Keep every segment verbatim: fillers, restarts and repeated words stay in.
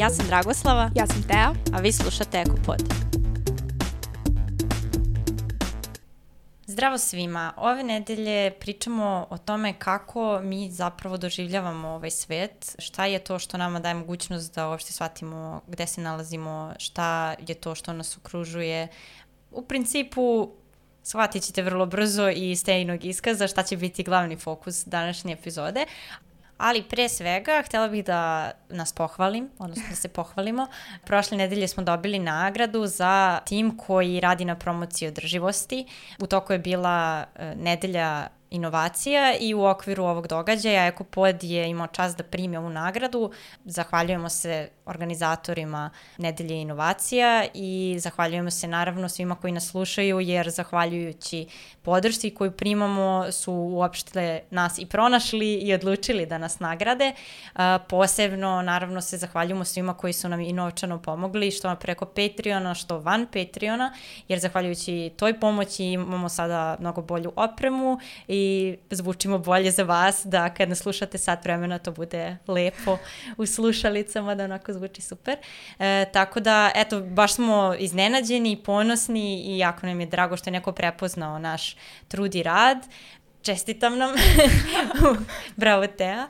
Ja sam Dragoslava. Ja sam Teja. A vi slušate Ekopod. Zdravo svima. Ove nedelje pričamo o tome kako mi zapravo doživljavamo ovaj svet, šta je to što nama daje mogućnost da uopšte shvatimo gde se nalazimo, šta je to što nas okružuje. U principu shvatit ćete vrlo brzo i iz Tejinog iskaza šta će biti glavni fokus današnje epizode. Ali pre svega, htjela bih da nas pohvalim, odnosno da se pohvalimo. Prošle nedelje smo dobili nagradu za tim koji radi na promociji održivosti. U toku je bila nedelja inovacija i u okviru ovog događaja Ekopod je imao čast da primi ovu nagradu. Zahvaljujemo se organizatorima nedelje inovacija i zahvaljujemo se naravno svima koji nas slušaju, jer zahvaljujući podršci koju primamo su uopšte nas i pronašli i odlučili da nas nagrade. Posebno naravno se zahvaljujemo svima koji su nam i novčano pomogli, što preko Patreona, što van Patreona, jer zahvaljujući toj pomoći imamo sada mnogo bolju opremu i i zvučimo bolje za vas, da kad nas slušate sat vremena to bude lepo u slušalicama, da onako zvuči super. E, tako da, eto, baš smo iznenađeni, ponosni i jako nam je drago što je neko prepoznao naš trud i rad. Čestitam nam. Bravo, Teja.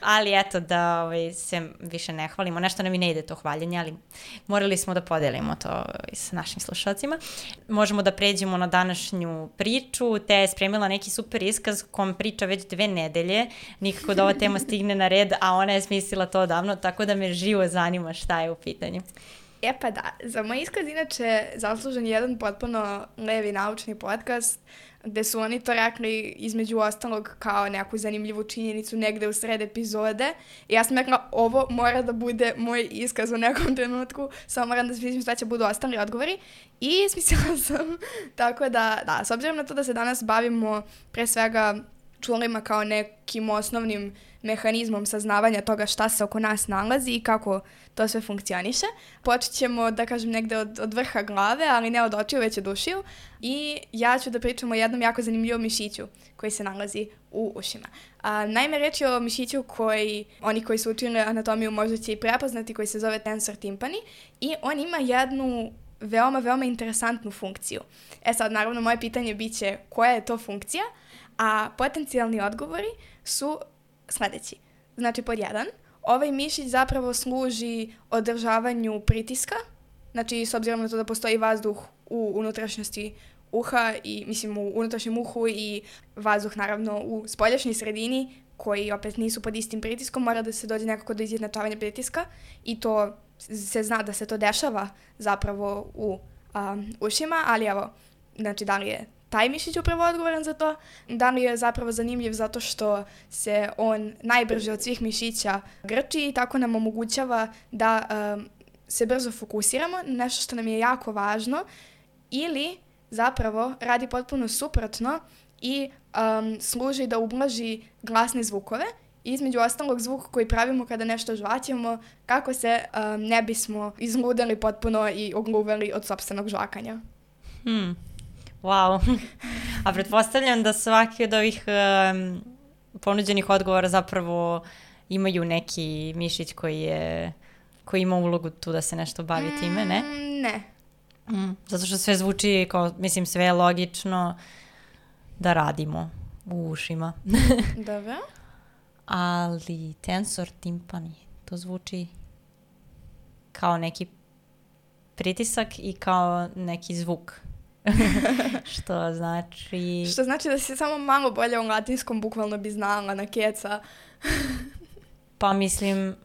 Ali eto, da ovaj, se više ne hvalimo. Nešto nam i ne ide to hvaljenje, ali morali smo da podelimo to s našim slušalcima. Možemo da pređemo na današnju priču. Teja je spremila neki super iskaz kom priča već dve nedelje. Nikako da ova tema stigne na red, a ona je smislila to odavno, tako da me živo zanima šta je u pitanju. E pa da, za moj iskaz inače zaslužen jedan potpuno levi naučni podcast gde su oni to rekli između ostalog kao neku zanimljivu činjenicu negde u sred epizode. I ja sam rekla, ovo mora da bude moj iskaz u nekom trenutku, samo moram da smislim šta će budu ostali odgovori. I smislila sam, tako da, da, s obzirom na to da se danas bavimo pre svega čulima kao nekim osnovnim mehanizmom saznavanja toga šta se oko nas nalazi i kako to sve funkcioniše. Počet ćemo, da kažem, negde od, od vrha glave, ali ne od očiju, već od ušiju. I ja ću da pričam o jednom jako zanimljivom mišiću koji se nalazi u ušima. A, naime, reč je o mišiću koji, oni koji su učili anatomiju možda će i prepoznati, koji se zove tensor timpani i on ima jednu veoma, veoma interesantnu funkciju. E sad, naravno, moje pitanje bit će koja je to funkcija, a potencijalni odgovori su sledeći. Znači, pod jedan, ovaj mišić zapravo služi održavanju pritiska, znači s obzirom na to da postoji vazduh u unutrašnjosti uha i mislim u unutrašnjem uhu i vazduh naravno u spoljašnjoj sredini koji opet nisu pod istim pritiskom, mora da se dođe nekako do izjednačavanja pritiska i to se zna da se to dešava zapravo u um, ušima, ali evo, znači da li je taj mišić upravo odgovoran za to, da li je zapravo zanimljiv zato što se on najbrže od svih mišića grči i tako nam omogućava da um, se brzo fokusiramo, nešto što nam je jako važno, ili zapravo radi potpuno suprotno i um, služi da ublaži glasne zvukove, između ostalog zvuk koji pravimo kada nešto žvaćemo, kako se um, ne bismo izludeli potpuno i ogluveli od sopstvenog žvakanja. Hmm. Wow. A pretpostavljam da svaki od ovih um, ponuđenih odgovora zapravo imaju neki mišić koji je koji ima ulogu tu da se nešto bavi mm, time, ne? Ne. Mm, zato što sve zvuči kao, mislim, sve je logično da radimo u ušima. Dobro. Ali tensor timpani, to zvuči kao neki pritisak i kao neki zvuk. Što znači... Što znači da si samo malo bolje u latinskom bukvalno bi znala na keca. Pa mislim...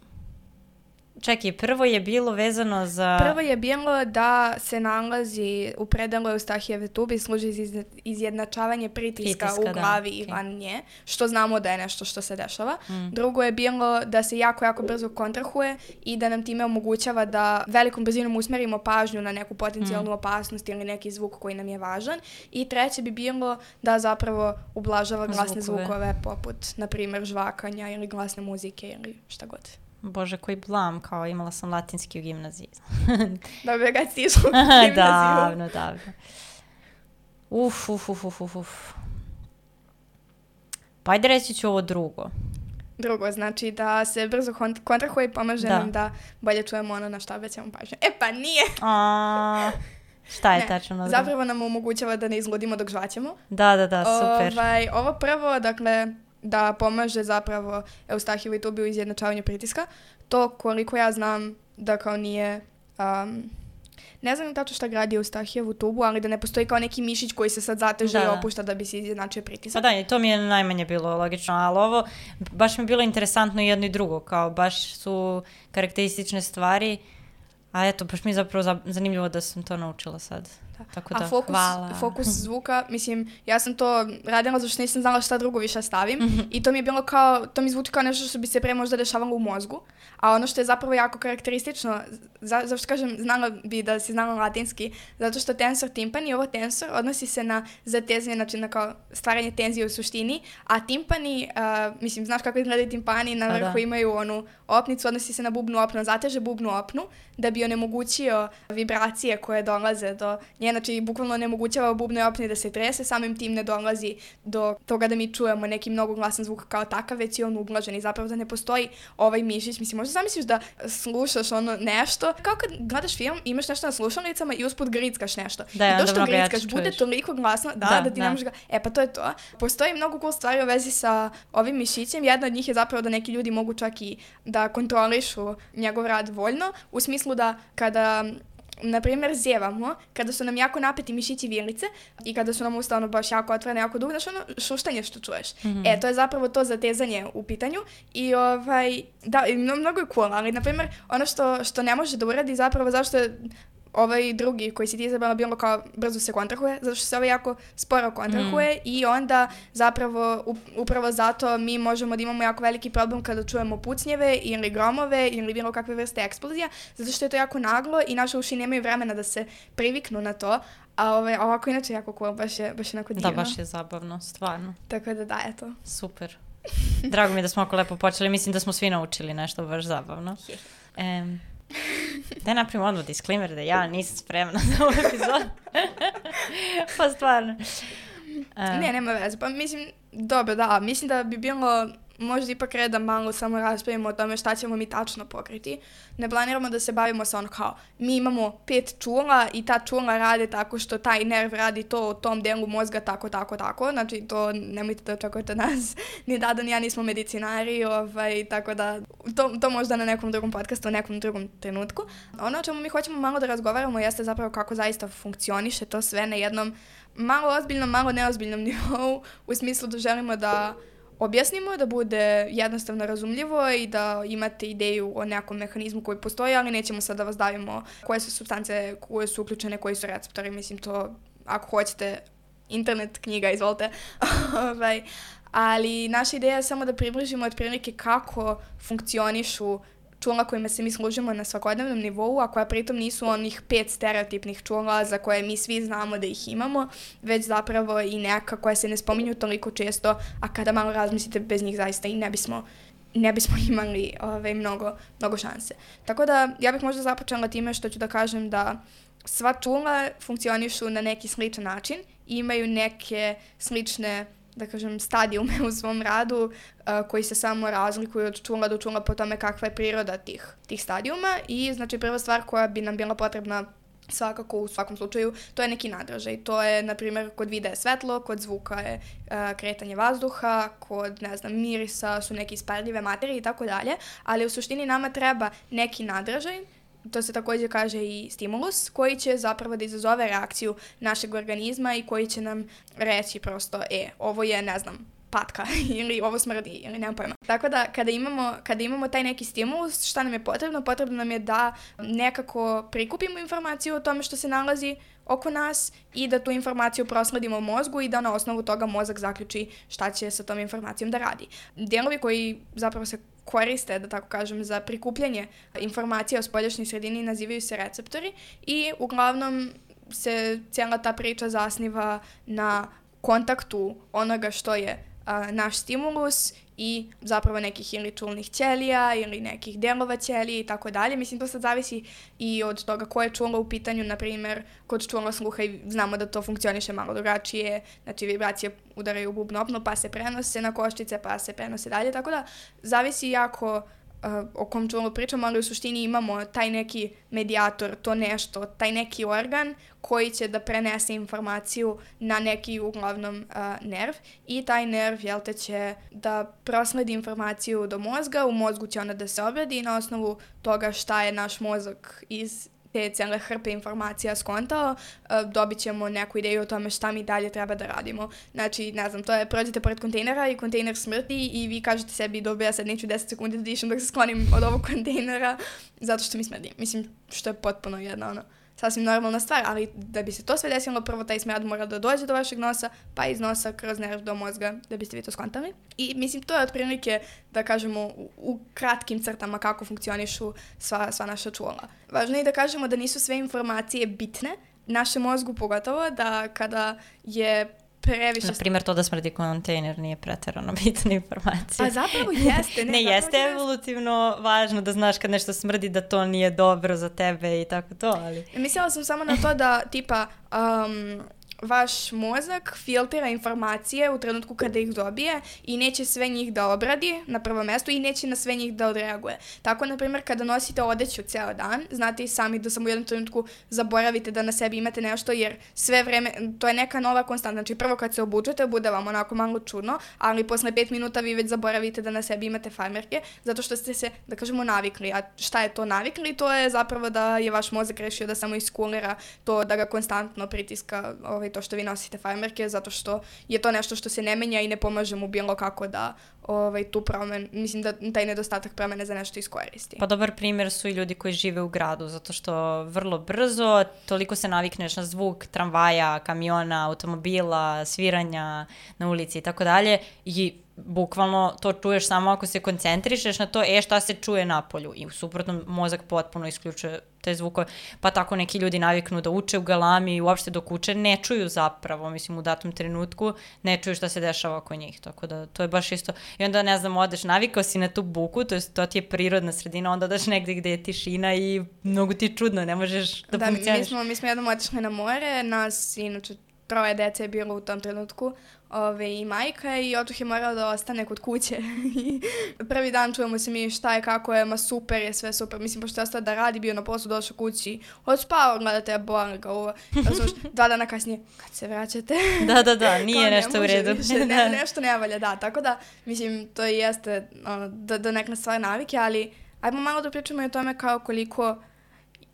Čekaj, prvo je bilo vezano za... Prvo je bilo da se nalazi u predelu Eustahijeve tubi, služi za izjednačavanje pritiska, pritiska u glavi da, i okay. van nje, što znamo da je nešto što se dešava. Mm. Drugo je bilo da se jako, jako brzo kontrahuje i da nam time omogućava da velikom brzinom usmerimo pažnju na neku potencijalnu mm. opasnost ili neki zvuk koji nam je važan. I treće bi bilo da zapravo ublažava glasne zvukove, zvukove poput, na primjer, žvakanja ili glasne muzike ili šta god. Bože, koji blam, kao imala sam latinski u gimnaziji. Dobro, kad si išla u gimnaziju. Davno, davno. Uf, uf, uf, uf, uf. Pa ajde reći ću ovo drugo. drugo, znači da se brzo kont- kontrahuje i pomaže da. nam da bolje čujemo ono na šta obraćamo pažnju. E pa nije! A, šta je ne, tačno? Na zapravo nam omogućava da ne izludimo dok žvaćemo. Da, da, da, super. Ovaj, ovo prvo, dakle, da pomaže zapravo Eustahijevu i Tubi u izjednačavanju pritiska. To koliko ja znam da kao nije... Um, ne znam tačno šta gradi Eustahijevu tubu, ali da ne postoji kao neki mišić koji se sad zateže da, i opušta da bi se izjednačio pritisak. Pa da, to mi je najmanje bilo logično, ali ovo baš mi je bilo interesantno jedno i drugo, kao baš su karakteristične stvari, a eto, baš mi je zapravo zanimljivo da sam to naučila sad. Da. Tako da, a fokus, hvala. fokus zvuka, mislim, ja sam to radila zato što nisam znala šta drugo više stavim mm-hmm. i to mi je bilo kao, to mi zvuči kao nešto što bi se pre možda dešavalo u mozgu, a ono što je zapravo jako karakteristično, za, zašto kažem, znala bi da si znala latinski, zato što tensor timpani, ovo tensor, odnosi se na zatezanje, znači na kao stvaranje tenzije u suštini, a timpani, uh, mislim, znaš kako izgledaju timpani, na vrhu da. Imaju onu opnicu, odnosi se na bubnu opnu, zateže bubnu opnu, da bi onemogućio vibracije koje dolaze do nje, znači bukvalno onemogućava bubnoj opni da se trese, samim tim ne dolazi do toga da mi čujemo neki mnogo glasan zvuk kao takav, već je on ublažen i zapravo da ne postoji ovaj mišić. Mislim, možda zamisliš da slušaš ono nešto, kao kad gledaš film, imaš nešto na slušalicama i usput grickaš nešto. Da, i to što grickaš bude toliko glasno, da, da, da ti da. ne možeš ga... E pa to je to. Postoji mnogo cool stvari u vezi sa ovim mišićem. Jedna od njih je zapravo da neki ljudi mogu čak i da kontrolišu njegov rad voljno, u smislu da kada na primjer zjevamo, kada su nam jako napeti mišići vilice i kada su nam usta ono baš jako otvorene, jako dugo, znaš ono šuštanje što čuješ. Mm-hmm. E, to je zapravo to zatezanje u pitanju i ovaj, da, mnogo je cool, ali na primjer ono što, što ne može da uradi zapravo zašto je ovaj drugi koji si ti izabrala bilo kao brzo se kontrahuje, zato što se ovaj jako sporo kontrahuje mm. i onda zapravo upravo zato mi možemo da imamo jako veliki problem kada čujemo pucnjeve ili gromove ili bilo kakve vrste eksplozija, zato što je to jako naglo i naše uši nemaju vremena da se priviknu na to, a ovaj, ovako inače jako cool, baš je, baš je onako divno. Da, baš je zabavno, stvarno. Tako da da, eto. Super. Drago mi je da smo ako lepo počeli, mislim da smo svi naučili nešto baš zabavno. Um, Da napravim odmah disclaimer da ja nisam spremna za ovu epizodu. Pa stvarno. Um. Ne, nema veze. Pa mislim, dobro, da, mislim da bi bilo možda ipak red da malo samo raspravimo o tome šta ćemo mi tačno pokriti. Ne planiramo da se bavimo sa ono kao, mi imamo pet čula i ta čula rade tako što taj nerv radi to u tom delu mozga tako, tako, tako. Znači, to nemojte da očekujete nas. Ni Dada, ni ja nismo medicinari, ovaj, tako da to, to možda na nekom drugom podcastu, u nekom drugom trenutku. Ono o čemu mi hoćemo malo da razgovaramo jeste zapravo kako zaista funkcioniše to sve na jednom malo ozbiljnom, malo neozbiljnom nivou, u smislu da želimo da objasnimo, da bude jednostavno razumljivo i da imate ideju o nekom mehanizmu koji postoji, ali nećemo sad da vas davimo koje su supstance, koje su uključene, koji su receptori. Mislim, to, ako hoćete, internet knjiga, izvolite. Ali naša ideja je samo da približimo otprilike kako funkcionišu čula kojima se mi služimo na svakodnevnom nivou, a koja pritom nisu onih pet stereotipnih čula za koje mi svi znamo da ih imamo, već zapravo i neka koja se ne spominju toliko često, a kada malo razmislite, bez njih zaista i ne bismo, ne bismo imali ove, mnogo, mnogo šanse. Tako da ja bih možda započela time što ću da kažem da sva čula funkcionišu na neki sličan način i imaju neke slične, da kažem, stadijume u svom radu uh, koji se samo razlikuju od čula do čula po tome kakva je priroda tih, tih stadijuma i znači prva stvar koja bi nam bila potrebna svakako u svakom slučaju, to je neki nadražaj. To je, na primjer, kod vida je svetlo, kod zvuka je uh, kretanje vazduha, kod, ne znam, mirisa su neke isparljive materije i tako dalje, ali u suštini nama treba neki nadražaj. To se također kaže i stimulus, koji će zapravo da izazove reakciju našeg organizma i koji će nam reći prosto, e, ovo je, ne znam, patka ili ovo smrdi ili nemam pojma. Tako da kada imamo, kada imamo taj neki stimulus, šta nam je potrebno? Potrebno nam je da nekako prikupimo informaciju o tome što se nalazi oko nas i da tu informaciju prosledimo u mozgu i da na osnovu toga mozak zaključi šta će sa tom informacijom da radi. Dijelovi koji zapravo se koriste, da tako kažem, za prikupljanje informacija o spoljašnjoj sredini nazivaju se receptori i uglavnom se cijela ta priča zasniva na kontaktu onoga što je a, naš stimulus i zapravo nekih ili čulnih ćelija ili nekih delova ćelije i tako dalje. Mislim, to sad zavisi i od toga koje je čulo u pitanju, na primjer, kod čula sluha i znamo da to funkcioniše malo drugačije, znači vibracije udaraju u bubnu opnu, pa se prenose na koščice, pa se prenose dalje, tako da zavisi jako Uh, o kom čulu pričamo, ali u suštini imamo taj neki medijator, to nešto, taj neki organ koji će da prenese informaciju na neki uglavnom uh, nerv i taj nerv, jel te, će da prosledi informaciju do mozga, u mozgu će ona da se obradi i na osnovu toga šta je naš mozak iz te cijele hrpe informacija skontao, dobit ćemo neku ideju o tome šta mi dalje treba da radimo. Znači, ne znam, to je, prođete pored kontejnera i kontejner smrti i vi kažete sebi, dobro, ja sad neću deset sekundi da dišem dok se sklonim od ovog kontejnera zato što mi smrdi. Mislim, što je potpuno jedna, ono, sasvim normalna stvar, ali da bi se to sve desilo, prvo taj smrad mora da dođe do vašeg nosa, pa iz nosa kroz nerv do mozga, da biste vi to skontali. I mislim, to je otprilike, da kažemo, u, u kratkim crtama kako funkcionišu sva, sva naša čula. Važno je da kažemo da nisu sve informacije bitne, našem mozgu pogotovo, da kada je previše... Na primjer, to da smrdi kontejner nije preterano bitna informacija. A zapravo jeste. Ne, ne jeste evolutivno važno da znaš kad nešto smrdi da to nije dobro za tebe i tako to, ali... Mislila sam samo na to da, tipa, um, vaš mozak filtrira informacije u trenutku kada ih dobije i neće sve njih da obradi na prvo mesto i neće na sve njih da odreaguje. Tako, na primjer, kada nosite odeću ceo dan, znate i sami da samo u jednom trenutku zaboravite da na sebi imate nešto, jer sve vreme, to je neka nova konstanta. Znači, prvo kad se obučete, bude vam onako malo čudno, ali posle pet minuta vi već zaboravite da na sebi imate farmerke, zato što ste se, da kažemo, navikli. A šta je to navikli? To je zapravo da je vaš mozak rešio da samo iskulira to, da ga konstantno pritiska ovaj, to što vi nosite farmerke, zato što je to nešto što se ne menja i ne pomaže mu bilo kako da ovaj, tu promen, mislim da taj nedostatak promene za nešto iskoristi. Pa dobar primjer su i ljudi koji žive u gradu, zato što vrlo brzo toliko se navikneš na zvuk tramvaja, kamiona, automobila, sviranja na ulici i tako dalje i bukvalno to čuješ samo ako se koncentrišeš na to, e šta se čuje napolju i u suprotnom mozak potpuno isključuje te zvukove, pa tako neki ljudi naviknu da uče u galami i uopšte dok uče ne čuju zapravo, mislim u datom trenutku ne čuju šta se dešava oko njih, tako da to je baš isto i onda ne znam, odeš, navikao si na tu buku, to, je, to ti je prirodna sredina, onda daš negde gde je tišina i mnogo ti je čudno, ne možeš da, da funkcioniš. Mi smo, mi smo jednom otišli na more, nas inače troje dece je bilo u tom trenutku, ove, i majka i otuh je morao da ostane kod kuće. Prvi dan čujemo se mi šta je, kako je, ma super je, sve super. Mislim, pošto je ostao da radi, bio na poslu, došao kući, odspao, gledate, boli ga ovo. Dva dana kasnije, kad se vraćate? Da, da, da, nije nešto u redu. Više, ne, nešto ne valja, da. Tako da, mislim, to jeste ono, da, da neka stvar navike, ali ajmo malo da pričamo i o tome kao koliko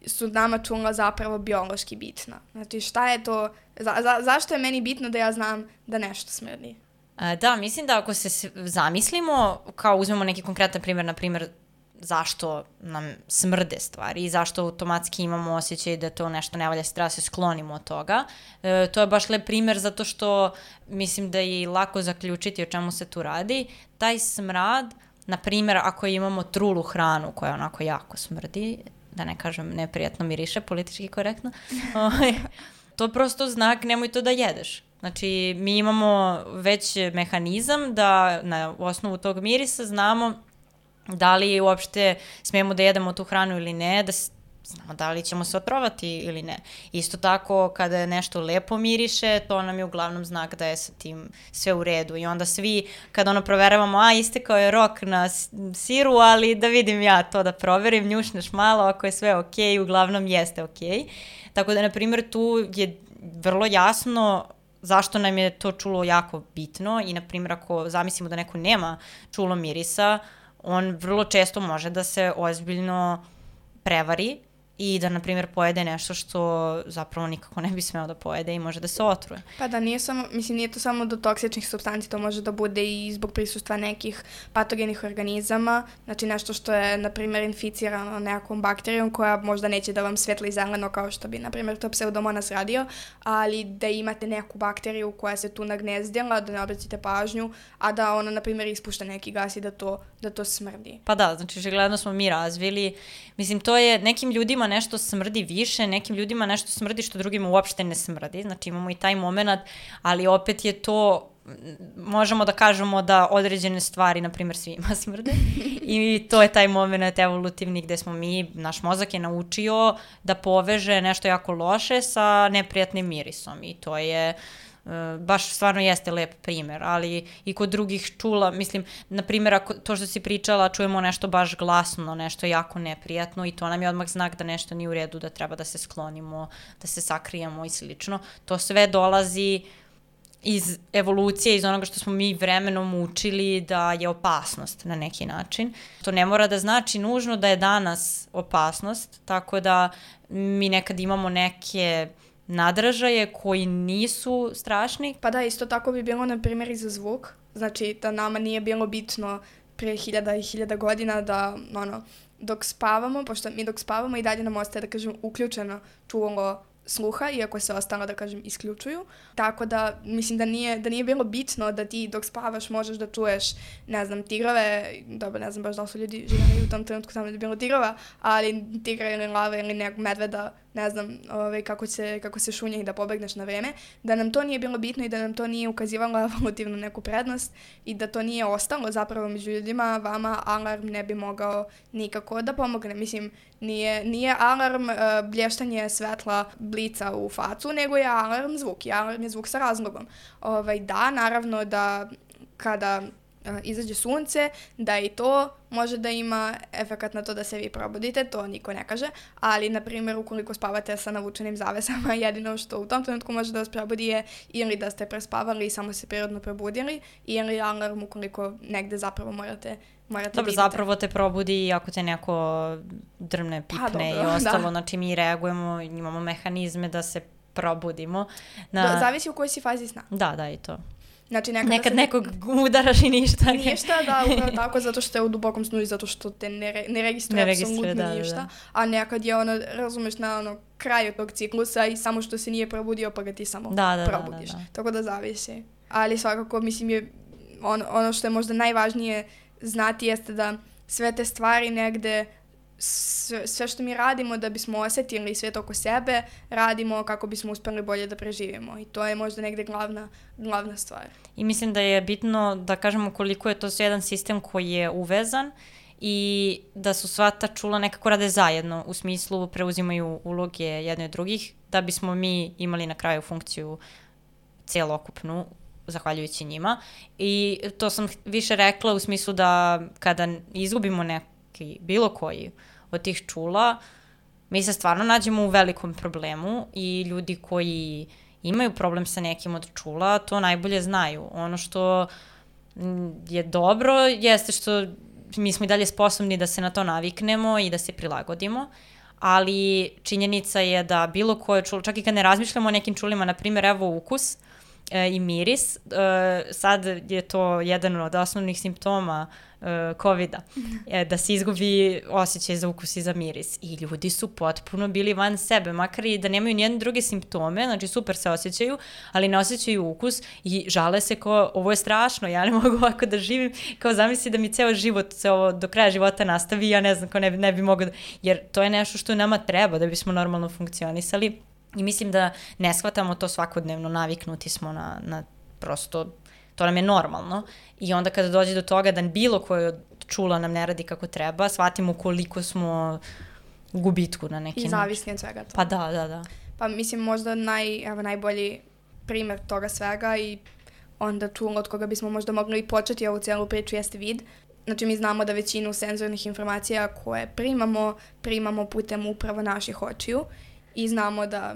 su nama čula zapravo biološki bitna. Znači, šta je to, za, za, zašto je meni bitno da ja znam da nešto smrdi? A, da, mislim da ako se zamislimo, kao uzmemo neki konkretan primjer, na primjer, zašto nam smrde stvari i zašto automatski imamo osjećaj da to nešto ne valja, se treba se sklonimo od toga. E, to je baš lep primjer zato što mislim da je lako zaključiti o čemu se tu radi. Taj smrad, na primjer, ako imamo trulu hranu koja onako jako smrdi, da ne kažem neprijatno miriše, politički korektno, to je prosto znak nemoj to da jedeš. Znači, mi imamo već mehanizam da na osnovu tog mirisa znamo da li uopšte smijemo da jedemo tu hranu ili ne, da znamo da li ćemo se otrovati ili ne. Isto tako, kada je nešto lepo miriše, to nam je uglavnom znak da je sa tim sve u redu. I onda svi, kada ono proveravamo, a istekao je rok na siru, ali da vidim ja to da proverim, njušneš malo, ako je sve okej, uglavnom jeste okej. Tako da, na primjer, tu je vrlo jasno zašto nam je to čulo jako bitno i, na primjer, ako zamislimo da neko nema čulo mirisa, on vrlo često može da se ozbiljno prevari i da, na primjer, pojede nešto što zapravo nikako ne bi smeo da pojede i može da se otruje. Pa da, nije samo, mislim, nije to samo do toksičnih supstanci, to može da bude i zbog prisustva nekih patogenih organizama, znači nešto što je, na primjer, inficirano nekom bakterijom koja možda neće da vam svetli zeleno kao što bi, na primjer, to pseudomonas radio, ali da imate neku bakteriju koja se tu nagnezdila, da ne obratite pažnju, a da ona, na primjer, ispušta neki gas i da to, da to smrdi. Pa da, znači, očigledno smo mi razvili, mislim, to je nekim ljudima ljudima nešto smrdi više, nekim ljudima nešto smrdi što drugima uopšte ne smrdi, znači imamo i taj moment, ali opet je to, možemo da kažemo da određene stvari, na primjer, svima smrde i to je taj moment evolutivni gde smo mi, naš mozak je naučio da poveže nešto jako loše sa neprijatnim mirisom i to je baš stvarno jeste lep primer, ali i kod drugih čula, mislim, na primjer, ako to što si pričala, čujemo nešto baš glasno, nešto jako neprijatno i to nam je odmah znak da nešto nije u redu, da treba da se sklonimo, da se sakrijemo i slično. To sve dolazi iz evolucije, iz onoga što smo mi vremenom učili da je opasnost na neki način. To ne mora da znači nužno da je danas opasnost, tako da mi nekad imamo neke nadražaje koji nisu strašni. Pa da, isto tako bi bilo na primjer i za zvuk. Znači da nama nije bilo bitno pre hiljada i hiljada godina da ono, dok spavamo, pošto mi dok spavamo i dalje nam ostaje, da kažem, uključeno čulo sluha, iako se ostalo, da kažem, isključuju. Tako da, mislim da nije, da nije bilo bitno da ti dok spavaš možeš da čuješ, ne znam, tigrove, dobro, ne znam baš da li su ljudi živjeli u tom trenutku tamo da je bilo tigrova, ali tigra ili lava ili nekog medveda, ne znam ovaj, kako, se, kako se šunje i da pobegneš na vreme, da nam to nije bilo bitno i da nam to nije ukazivalo evolutivnu neku prednost i da to nije ostalo zapravo među ljudima, vama alarm ne bi mogao nikako da pomogne. Mislim, nije, nije alarm uh, blještanje svetla blica u facu, nego je alarm zvuk i alarm je zvuk sa razlogom. Ovaj, da, naravno da kada izađe sunce, da i to može da ima efekat na to da se vi probudite, to niko ne kaže, ali, na primjer, ukoliko spavate sa navučenim zavesama, jedino što u tom trenutku može da vas probudi je ili da ste prespavali i samo se prirodno probudili, ili alarm ukoliko negde zapravo morate morate Dobro, vidite. Zapravo te probudi ako te neko drmne, pipne pa, dobro, i ostalo, da. Znači mi reagujemo, imamo mehanizme da se probudimo. Na... Do, zavisi u kojoj si fazi sna. Da, da, i to. Znači, nekad, nekad se... nekog udaraš i ništa. Ništa, da, upravo tako, zato što je u dubokom snu i zato što te ne, re, ne registruje ne apsolutno da, ništa. Da, da. A nekad je ono, razumeš, na ono kraju tog ciklusa i samo što se nije probudio pa ga ti samo da, da, probudiš. Da, da, da. Tako da zavisi. Ali svakako, mislim, je on, ono što je možda najvažnije znati jeste da sve te stvari negde, sve, sve što mi radimo da bismo osjetili svet oko sebe, radimo kako bismo uspeli bolje da preživimo. I to je možda negde glavna, glavna stvar. I mislim da je bitno da kažemo koliko je to jedan sistem koji je uvezan i da su sva ta čula nekako rade zajedno, u smislu preuzimaju uloge jedne od drugih, da bismo mi imali na kraju funkciju celokupnu, zahvaljujući njima. I to sam više rekla u smislu da kada izgubimo neki, bilo koji od tih čula, mi se stvarno nađemo u velikom problemu i ljudi koji imaju problem sa nekim od čula, to najbolje znaju. Ono što je dobro jeste što mi smo i dalje sposobni da se na to naviknemo i da se prilagodimo, ali činjenica je da bilo koje čulo, čak i kad ne razmišljamo o nekim čulima, na primjer, evo ukus e, i miris, e, sad je to jedan od osnovnih simptoma e, kovida, e, da se izgubi osjećaj za ukus i za miris. I ljudi su potpuno bili van sebe, makar i da nemaju nijedne druge simptome, znači super se osjećaju, ali ne osjećaju ukus i žale se kao, ovo je strašno, ja ne mogu ovako da živim, kao zamisli da mi ceo život, se ovo do kraja života nastavi, ja ne znam, kao ne, ne bi mogao da, jer to je nešto što nama treba da bismo normalno funkcionisali. I mislim da ne shvatamo to svakodnevno, naviknuti smo na, na prosto, to nam je normalno. I onda kada dođe do toga da bilo koje od čula nam ne radi kako treba, shvatimo koliko smo u gubitku na neki način. I zavisni od svega toga. Pa da, da, da. Pa mislim možda naj, evo, najbolji primjer toga svega i onda čulo od koga bismo možda mogli i početi ovu cijelu priču jeste vid. Znači mi znamo da većinu senzornih informacija koje primamo, primamo putem upravo naših očiju i znamo da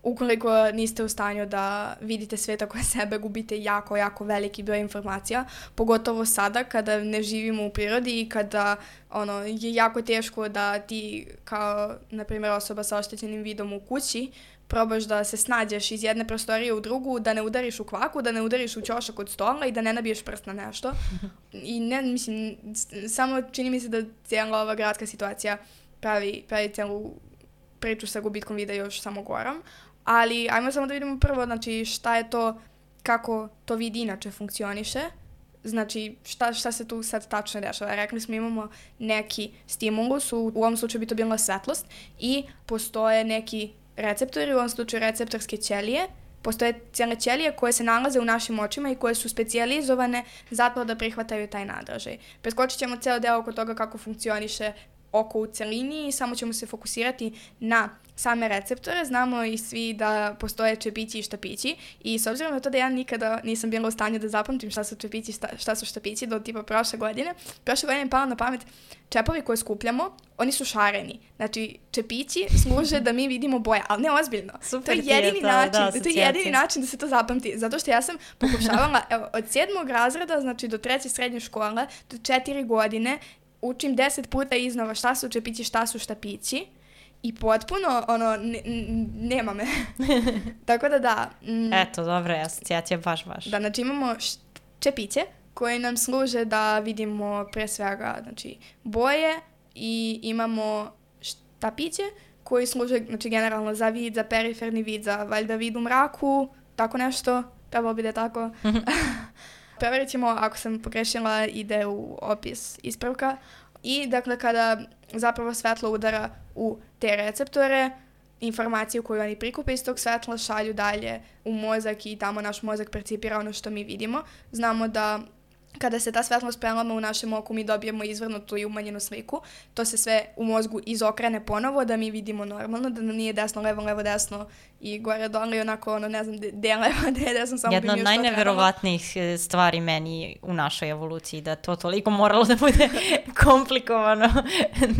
ukoliko niste u stanju da vidite svet oko sebe, gubite jako, jako veliki broj informacija, pogotovo sada kada ne živimo u prirodi i kada ono, je jako teško da ti kao, na primjer, osoba sa oštećenim vidom u kući probaš da se snađeš iz jedne prostorije u drugu, da ne udariš u kvaku, da ne udariš u ćošak od stola i da ne nabiješ prst na nešto. I ne, mislim, samo čini mi se da cijela ova gradska situacija pravi, pravi cijelu priču sa gubitkom vida još samo gorom. Ali ajmo samo da vidimo prvo, znači, šta je to, kako to vid inače funkcioniše, znači šta, šta se tu sad tačno dešava. Rekli smo imamo neki stimulus, u, u ovom slučaju bi to bila svetlost i postoje neki receptori, u ovom slučaju receptorske ćelije. Postoje cijele ćelije koje se nalaze u našim očima i koje su specijalizovane zato da prihvataju taj nadražaj. Preskočit ćemo ceo deo oko toga kako funkcioniše oko u celini i samo ćemo se fokusirati na same receptore. Znamo i svi da postoje čepići i štapići i s obzirom na to da ja nikada nisam bila u stanju da zapamtim šta su čepići, šta, šta su štapići do tipa prošle godine, prošle godine mi palo na pamet čepovi koje skupljamo, oni su šareni. Znači, čepići služe da mi vidimo boje, ali ne ozbiljno. Super, to je jedini to, način, da, to je jedini način da se to zapamti. Zato što ja sam pokušavala, evo, od sedmog razreda, znači do treće srednje škole, do četiri godine, učim deset puta iznova šta su čepići, šta su štapići i potpuno, ono, ne, nema me. Tako da da. Mm, Eto, dobra je asocijacija, baš, baš. Da, znači imamo čepiće koje nam služe da vidimo pre svega, znači, boje i imamo štapiće koji služe, znači, generalno za vid, za periferni vid, za valjda vid u mraku, tako nešto, trebalo bi da je tako. Preverit ćemo, ako sam pogrešila, ide u opis ispravka. I dakle, kada zapravo svetlo udara u te receptore, informaciju koju oni prikupe iz tog svetla šalju dalje u mozak i tamo naš mozak percipira ono što mi vidimo. Znamo da kada se ta svetlost prelama u našem oku, mi dobijemo izvrnutu i umanjenu sliku. To se sve u mozgu izokrene ponovo, da mi vidimo normalno, da nam nije desno, levo, levo, desno i gore, dole i onako, ono, ne znam, gde je levo, gde je desno, samo Jedna bi mi još to od najneverovatnijih stvari meni u našoj evoluciji, da to toliko moralo da bude komplikovano.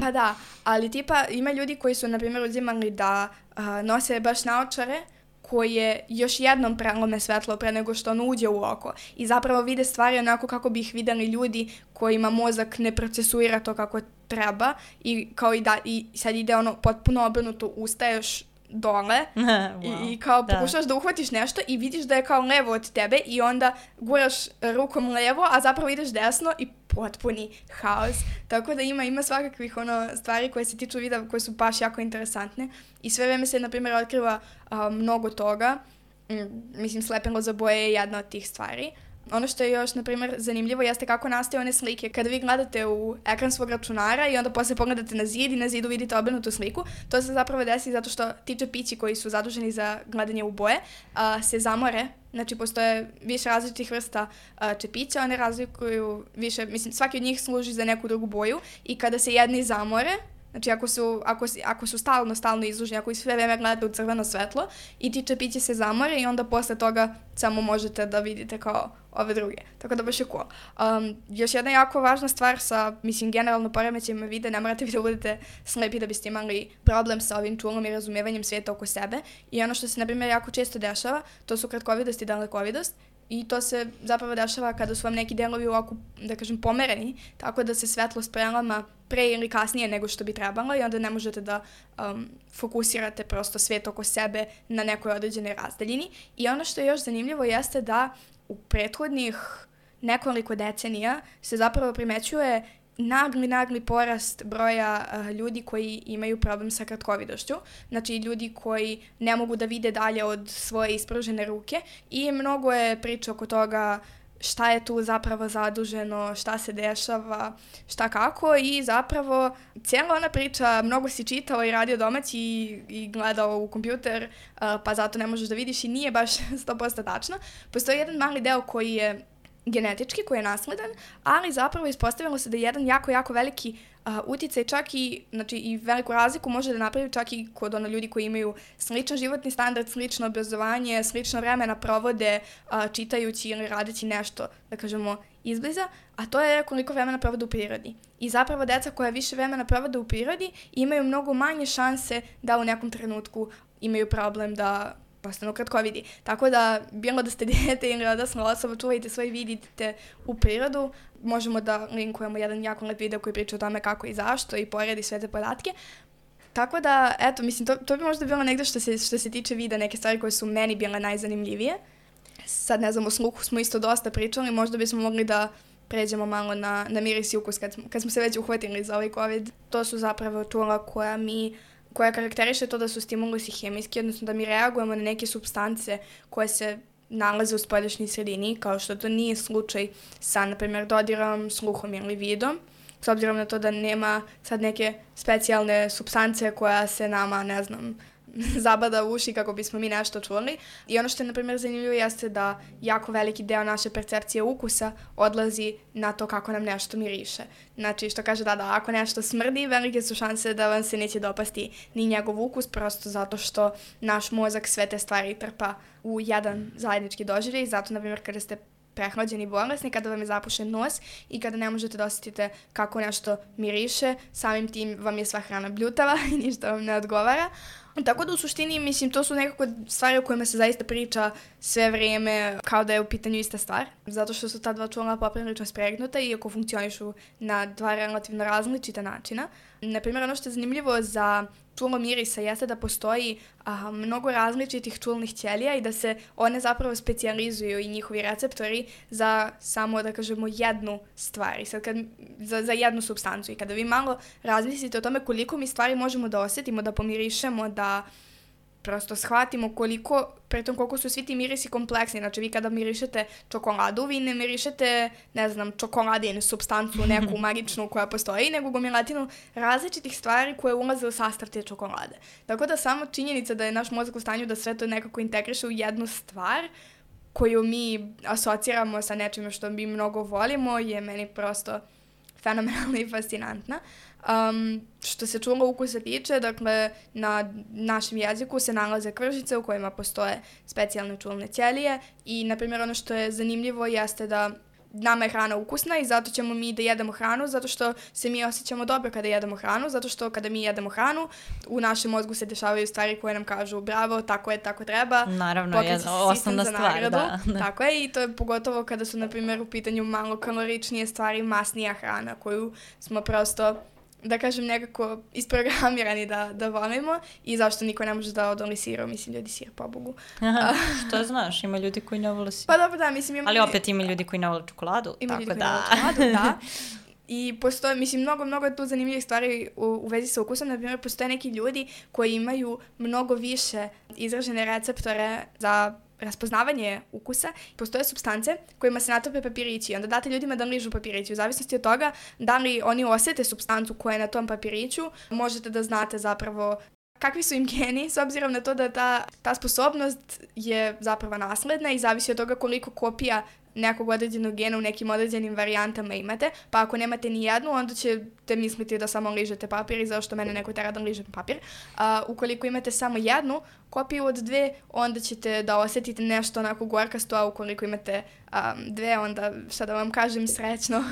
Pa da, ali tipa ima ljudi koji su, na primjer, uzimali da uh, nose baš naočare, koje još jednom prelome svetlo pre nego što ono uđe u oko. I zapravo vide stvari onako kako bi ih videli ljudi kojima mozak ne procesuira to kako treba i kao i da i sad ide ono potpuno obrnuto, ustaješ dole wow, i, i kao da. Pokušaš da uhvatiš nešto i vidiš da je kao levo od tebe i onda guraš rukom levo, a zapravo ideš desno i potpuni haos. Tako da ima ima svakakvih ono stvari koje se tiču vida koje su baš jako interesantne i sve vreme se na primjer otkriva a, mnogo toga. Mm, mislim, slepilo za boje je jedna od tih stvari. Ono što je još, na primjer, zanimljivo jeste kako nastaju one slike. Kada vi gledate u ekran svog računara i onda posle pogledate na zid i na zidu vidite obrnutu sliku, to se zapravo desi zato što ti čepići koji su zaduženi za gledanje u boje a, se zamore. Znači, postoje više različitih vrsta a, čepića, one razlikuju više, mislim, svaki od njih služi za neku drugu boju i kada se jedni zamore, znači ako su, ako, ako su stalno, stalno izluženi, ako i sve vreme gledate u crveno svetlo i ti čepići se zamore i onda posle toga samo možete da vidite kao ove druge. Tako da baš je cool. Um, još jedna jako važna stvar sa, mislim, generalno poremećajima vida, ne morate vi da budete slepi da biste imali problem sa ovim čulom i razumijevanjem svijeta oko sebe. I ono što se, na primjer, jako često dešava, to su kratkovidost i dalekovidost. I to se zapravo dešava kada su vam neki delovi u oku, da kažem, pomereni, tako da se svetlost prelama pre ili kasnije nego što bi trebalo i onda ne možete da um, fokusirate prosto svijet oko sebe na nekoj određenoj razdaljini. I ono što je još zanimljivo jeste da u prethodnih nekoliko decenija se zapravo primećuje nagli, nagli porast broja uh, ljudi koji imaju problem sa kratkovidošću. Znači, ljudi koji ne mogu da vide dalje od svoje ispružene ruke i mnogo je priča oko toga šta je tu zapravo zaduženo, šta se dešava, šta kako i zapravo cijela ona priča, mnogo si čitao i radio domaći i, i gledao u kompjuter, uh, pa zato ne možeš da vidiš i nije baš sto posto tačno. Postoji jedan mali deo koji je genetički, koji je nasledan, ali zapravo ispostavilo se da je jedan jako, jako veliki uh, uticaj čak i, znači, i veliku razliku može da napravi čak i kod ono ljudi koji imaju sličan životni standard, slično obrazovanje, slično vremena provode uh, čitajući ili radeći nešto, da kažemo, izbliza, a to je koliko vremena provode u prirodi. I zapravo deca koja više vremena provode u prirodi imaju mnogo manje šanse da u nekom trenutku imaju problem da postanu kratkovidi. Tako da, bilo da ste dijete ili odrasla osoba, čuvajte svoj vid, idite u prirodu. Možemo da linkujemo jedan jako lep video koji priča o tome kako i zašto i poredi sve te podatke. Tako da, eto, mislim, to, to bi možda bilo negdje što se, što se tiče vida, neke stvari koje su meni bile najzanimljivije. Sad, ne znam, o sluhu smo isto dosta pričali, možda bismo mogli da pređemo malo na, na miris i ukus kad smo, kad smo se već uhvatili za ovaj COVID. To su zapravo čula koja mi koja karakteriše to da su stimulusi hemijski, odnosno da mi reagujemo na neke supstance koje se nalaze u spoljašnjoj sredini, kao što to nije slučaj sa, na primjer, dodirom, sluhom ili vidom, s obzirom na to da nema sad neke specijalne supstance koja se nama, ne znam, zabada u uši kako bismo mi nešto čuli. I ono što je, na primjer, zanimljivo jeste da jako veliki deo naše percepcije ukusa odlazi na to kako nam nešto miriše. Znači, što kaže da, da ako nešto smrdi, velike su šanse da vam se neće dopasti ni njegov ukus, prosto zato što naš mozak sve te stvari trpa u jedan zajednički doživljaj. Zato, na primjer, kada ste prehlađeni, bolesni, kada vam je zapušen nos i kada ne možete da osjetite kako nešto miriše, samim tim vam je sva hrana bljutava i ništa vam ne odgovara. Tako da u suštini, mislim, to su nekako stvari o kojima se zaista priča sve vrijeme kao da je u pitanju ista stvar, zato što su ta dva čula poprilično spregnuta iako funkcionišu na dva relativno različita načina. Naprimjer, ono što je zanimljivo za čulo mirisa jeste da postoji a, mnogo različitih čulnih ćelija i da se one zapravo specijalizuju i njihovi receptori za samo, da kažemo, jednu stvar, i sad kad, za, za jednu supstancu. I kada vi malo razmislite o tome koliko mi stvari možemo da osjetimo, da pomirišemo, da prosto shvatimo koliko, pritom koliko su svi ti mirisi kompleksni. Znači, vi kada mirišete čokoladu, vi ne mirišete, ne znam, čokoladinu, supstancu neku magičnu koja postoji, nego gomilatinu različitih stvari koje ulaze u sastav te čokolade. Tako da samo činjenica da je naš mozak u stanju da sve to nekako integriše u jednu stvar koju mi asociramo sa nečim što mi mnogo volimo je meni prosto fenomenalna i fascinantna. Um, što se čula ukusa tiče, dakle, na našem jeziku se nalaze kržice u kojima postoje specijalne čulne ćelije i, na primjer, ono što je zanimljivo jeste da nama je hrana ukusna i zato ćemo mi da jedemo hranu, zato što se mi osjećamo dobro kada jedemo hranu, zato što kada mi jedemo hranu, u našem mozgu se dešavaju stvari koje nam kažu bravo, tako je, tako treba. Naravno, je osnovna stvar, da, da. Tako je, i to je pogotovo kada su, na primjer, u pitanju malo kaloričnije stvari, masnija hrana koju smo prosto, da kažem, nekako isprogramirani da, da volimo i zašto niko ne može da odoli sira, mislim, ljudi sir, pobogu. Aha, što znaš, ima ljudi koji ne vole sir. Pa dobro, da, mislim... Ima ali opet ima ljudi koji ne vole čokoladu, ima tako ljudi da. Koji ne vole čokoladu, da. I postoje, mislim, mnogo, mnogo je tu zanimljivih stvari u, u vezi sa ukusom. Na primjer, postoje neki ljudi koji imaju mnogo više izražene receptore za raspoznavanje ukusa. Postoje supstance kojima se natope papirići. Onda date ljudima da ližu papirići. U zavisnosti od toga da li oni osjete supstancu koja je na tom papiriću, možete da znate zapravo kakvi su im geni, s obzirom na to da ta, ta sposobnost je zapravo nasledna i zavisi od toga koliko kopija nekog određenog gena u nekim određenim varijantama imate, pa ako nemate ni jednu, onda ćete misliti da samo ližete papir i zašto mene neko tera da ližem papir. A, ukoliko imate samo jednu kopiju od dve, onda ćete da osjetite nešto onako gorkasto, a ukoliko imate um, dve, onda, šta da vam kažem, srećno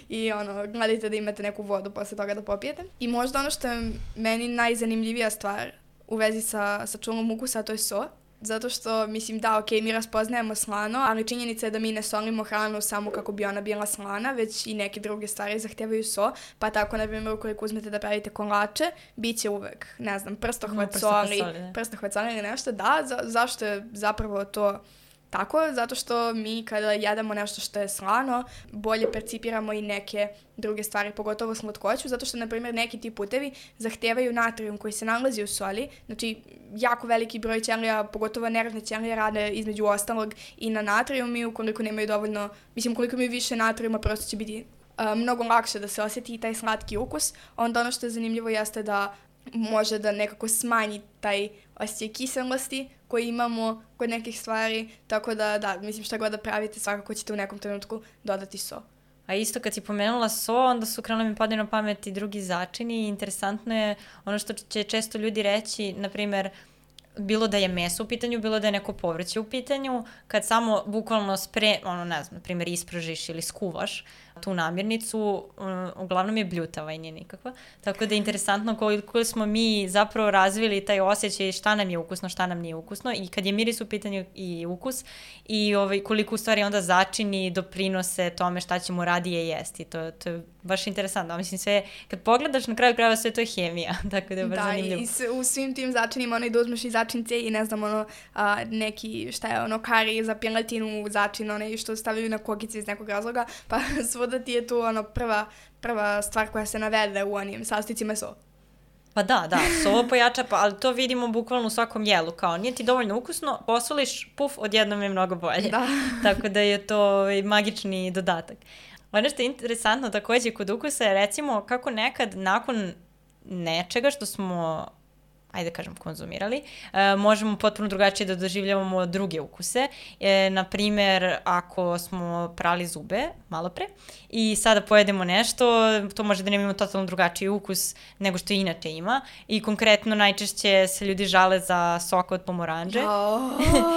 i ono, gledajte da imate neku vodu posle toga da popijete. I možda ono što je meni najzanimljivija stvar u vezi sa, sa čulom ukusa, to je so. Zato što, mislim, da, ok, mi raspoznajemo slano, ali činjenica je da mi ne solimo hranu samo kako bi ona bila slana, već i neke druge stvari zahtevaju so, pa tako, na primjer, ukoliko uzmete da pravite kolače, bit će uvek, ne znam, prstohvat no, soli, prstohvat soli ili nešto, da, za, zašto je zapravo to tako? Zato što mi kada jedemo nešto što je slano, bolje percipiramo i neke druge stvari, pogotovo slatkoću, zato što, na primjer, neki ti putevi zahtevaju natrijum koji se nalazi u soli, znači jako veliki broj ćelija, pogotovo nervne ćelije, rade između ostalog i na natrijum i ukoliko nemaju dovoljno, mislim, ukoliko imaju više natrijuma, prosto će biti uh, mnogo lakše da se osjeti i taj slatki ukus. Onda ono što je zanimljivo jeste da može da nekako smanji taj osjećaj kiselosti koji imamo kod nekih stvari, tako da, da, mislim, šta god da pravite, svakako ćete u nekom trenutku dodati so. A isto kad si pomenula so, onda su krenuli mi padaju na pamet i drugi začini i interesantno je ono što će često ljudi reći, na primjer, bilo da je meso u pitanju, bilo da je neko povrće u pitanju, kad samo bukvalno spre, ono ne znam, na primjer ispražiš ili skuvaš tu namirnicu, um, uglavnom je bljutava i nije nikakva. Tako da je interesantno koliko smo mi zapravo razvili taj osjećaj šta nam je ukusno, šta nam nije ukusno i kad je miris u pitanju i ukus i ovaj, koliko u stvari onda začini doprinose tome šta ćemo radije jesti. To, to je baš interesantno. Mislim, sve, kad pogledaš na kraju krajeva sve to je hemija, tako da je baš da, zanimljivo. Da, i u svim tim začinima ono i da uzmeš i začince i ne znam ono a, neki, šta je ono, kari za piletinu, začin, one što stavljaju na kokice iz nekog razloga, pa svuda ti je tu ono prva, prva stvar koja se navede u onim sastojcima so. Pa da, da, so pojača, pa, ali to vidimo bukvalno u svakom jelu, kao nije ti dovoljno ukusno, posoliš, puf, odjednom je mnogo bolje. Da. Tako da je to magični dodatak. Ono što je interesantno takođe kod ukusa je recimo kako nekad nakon nečega što smo, ajde kažem, konzumirali, e, možemo potpuno drugačije da doživljavamo druge ukuse. E, naprimer, ako smo prali zube malo pre i sada pojedemo nešto, to može da nema ima totalno drugačiji ukus nego što inače ima. I konkretno najčešće se ljudi žale za sok od pomoranđe. Oh,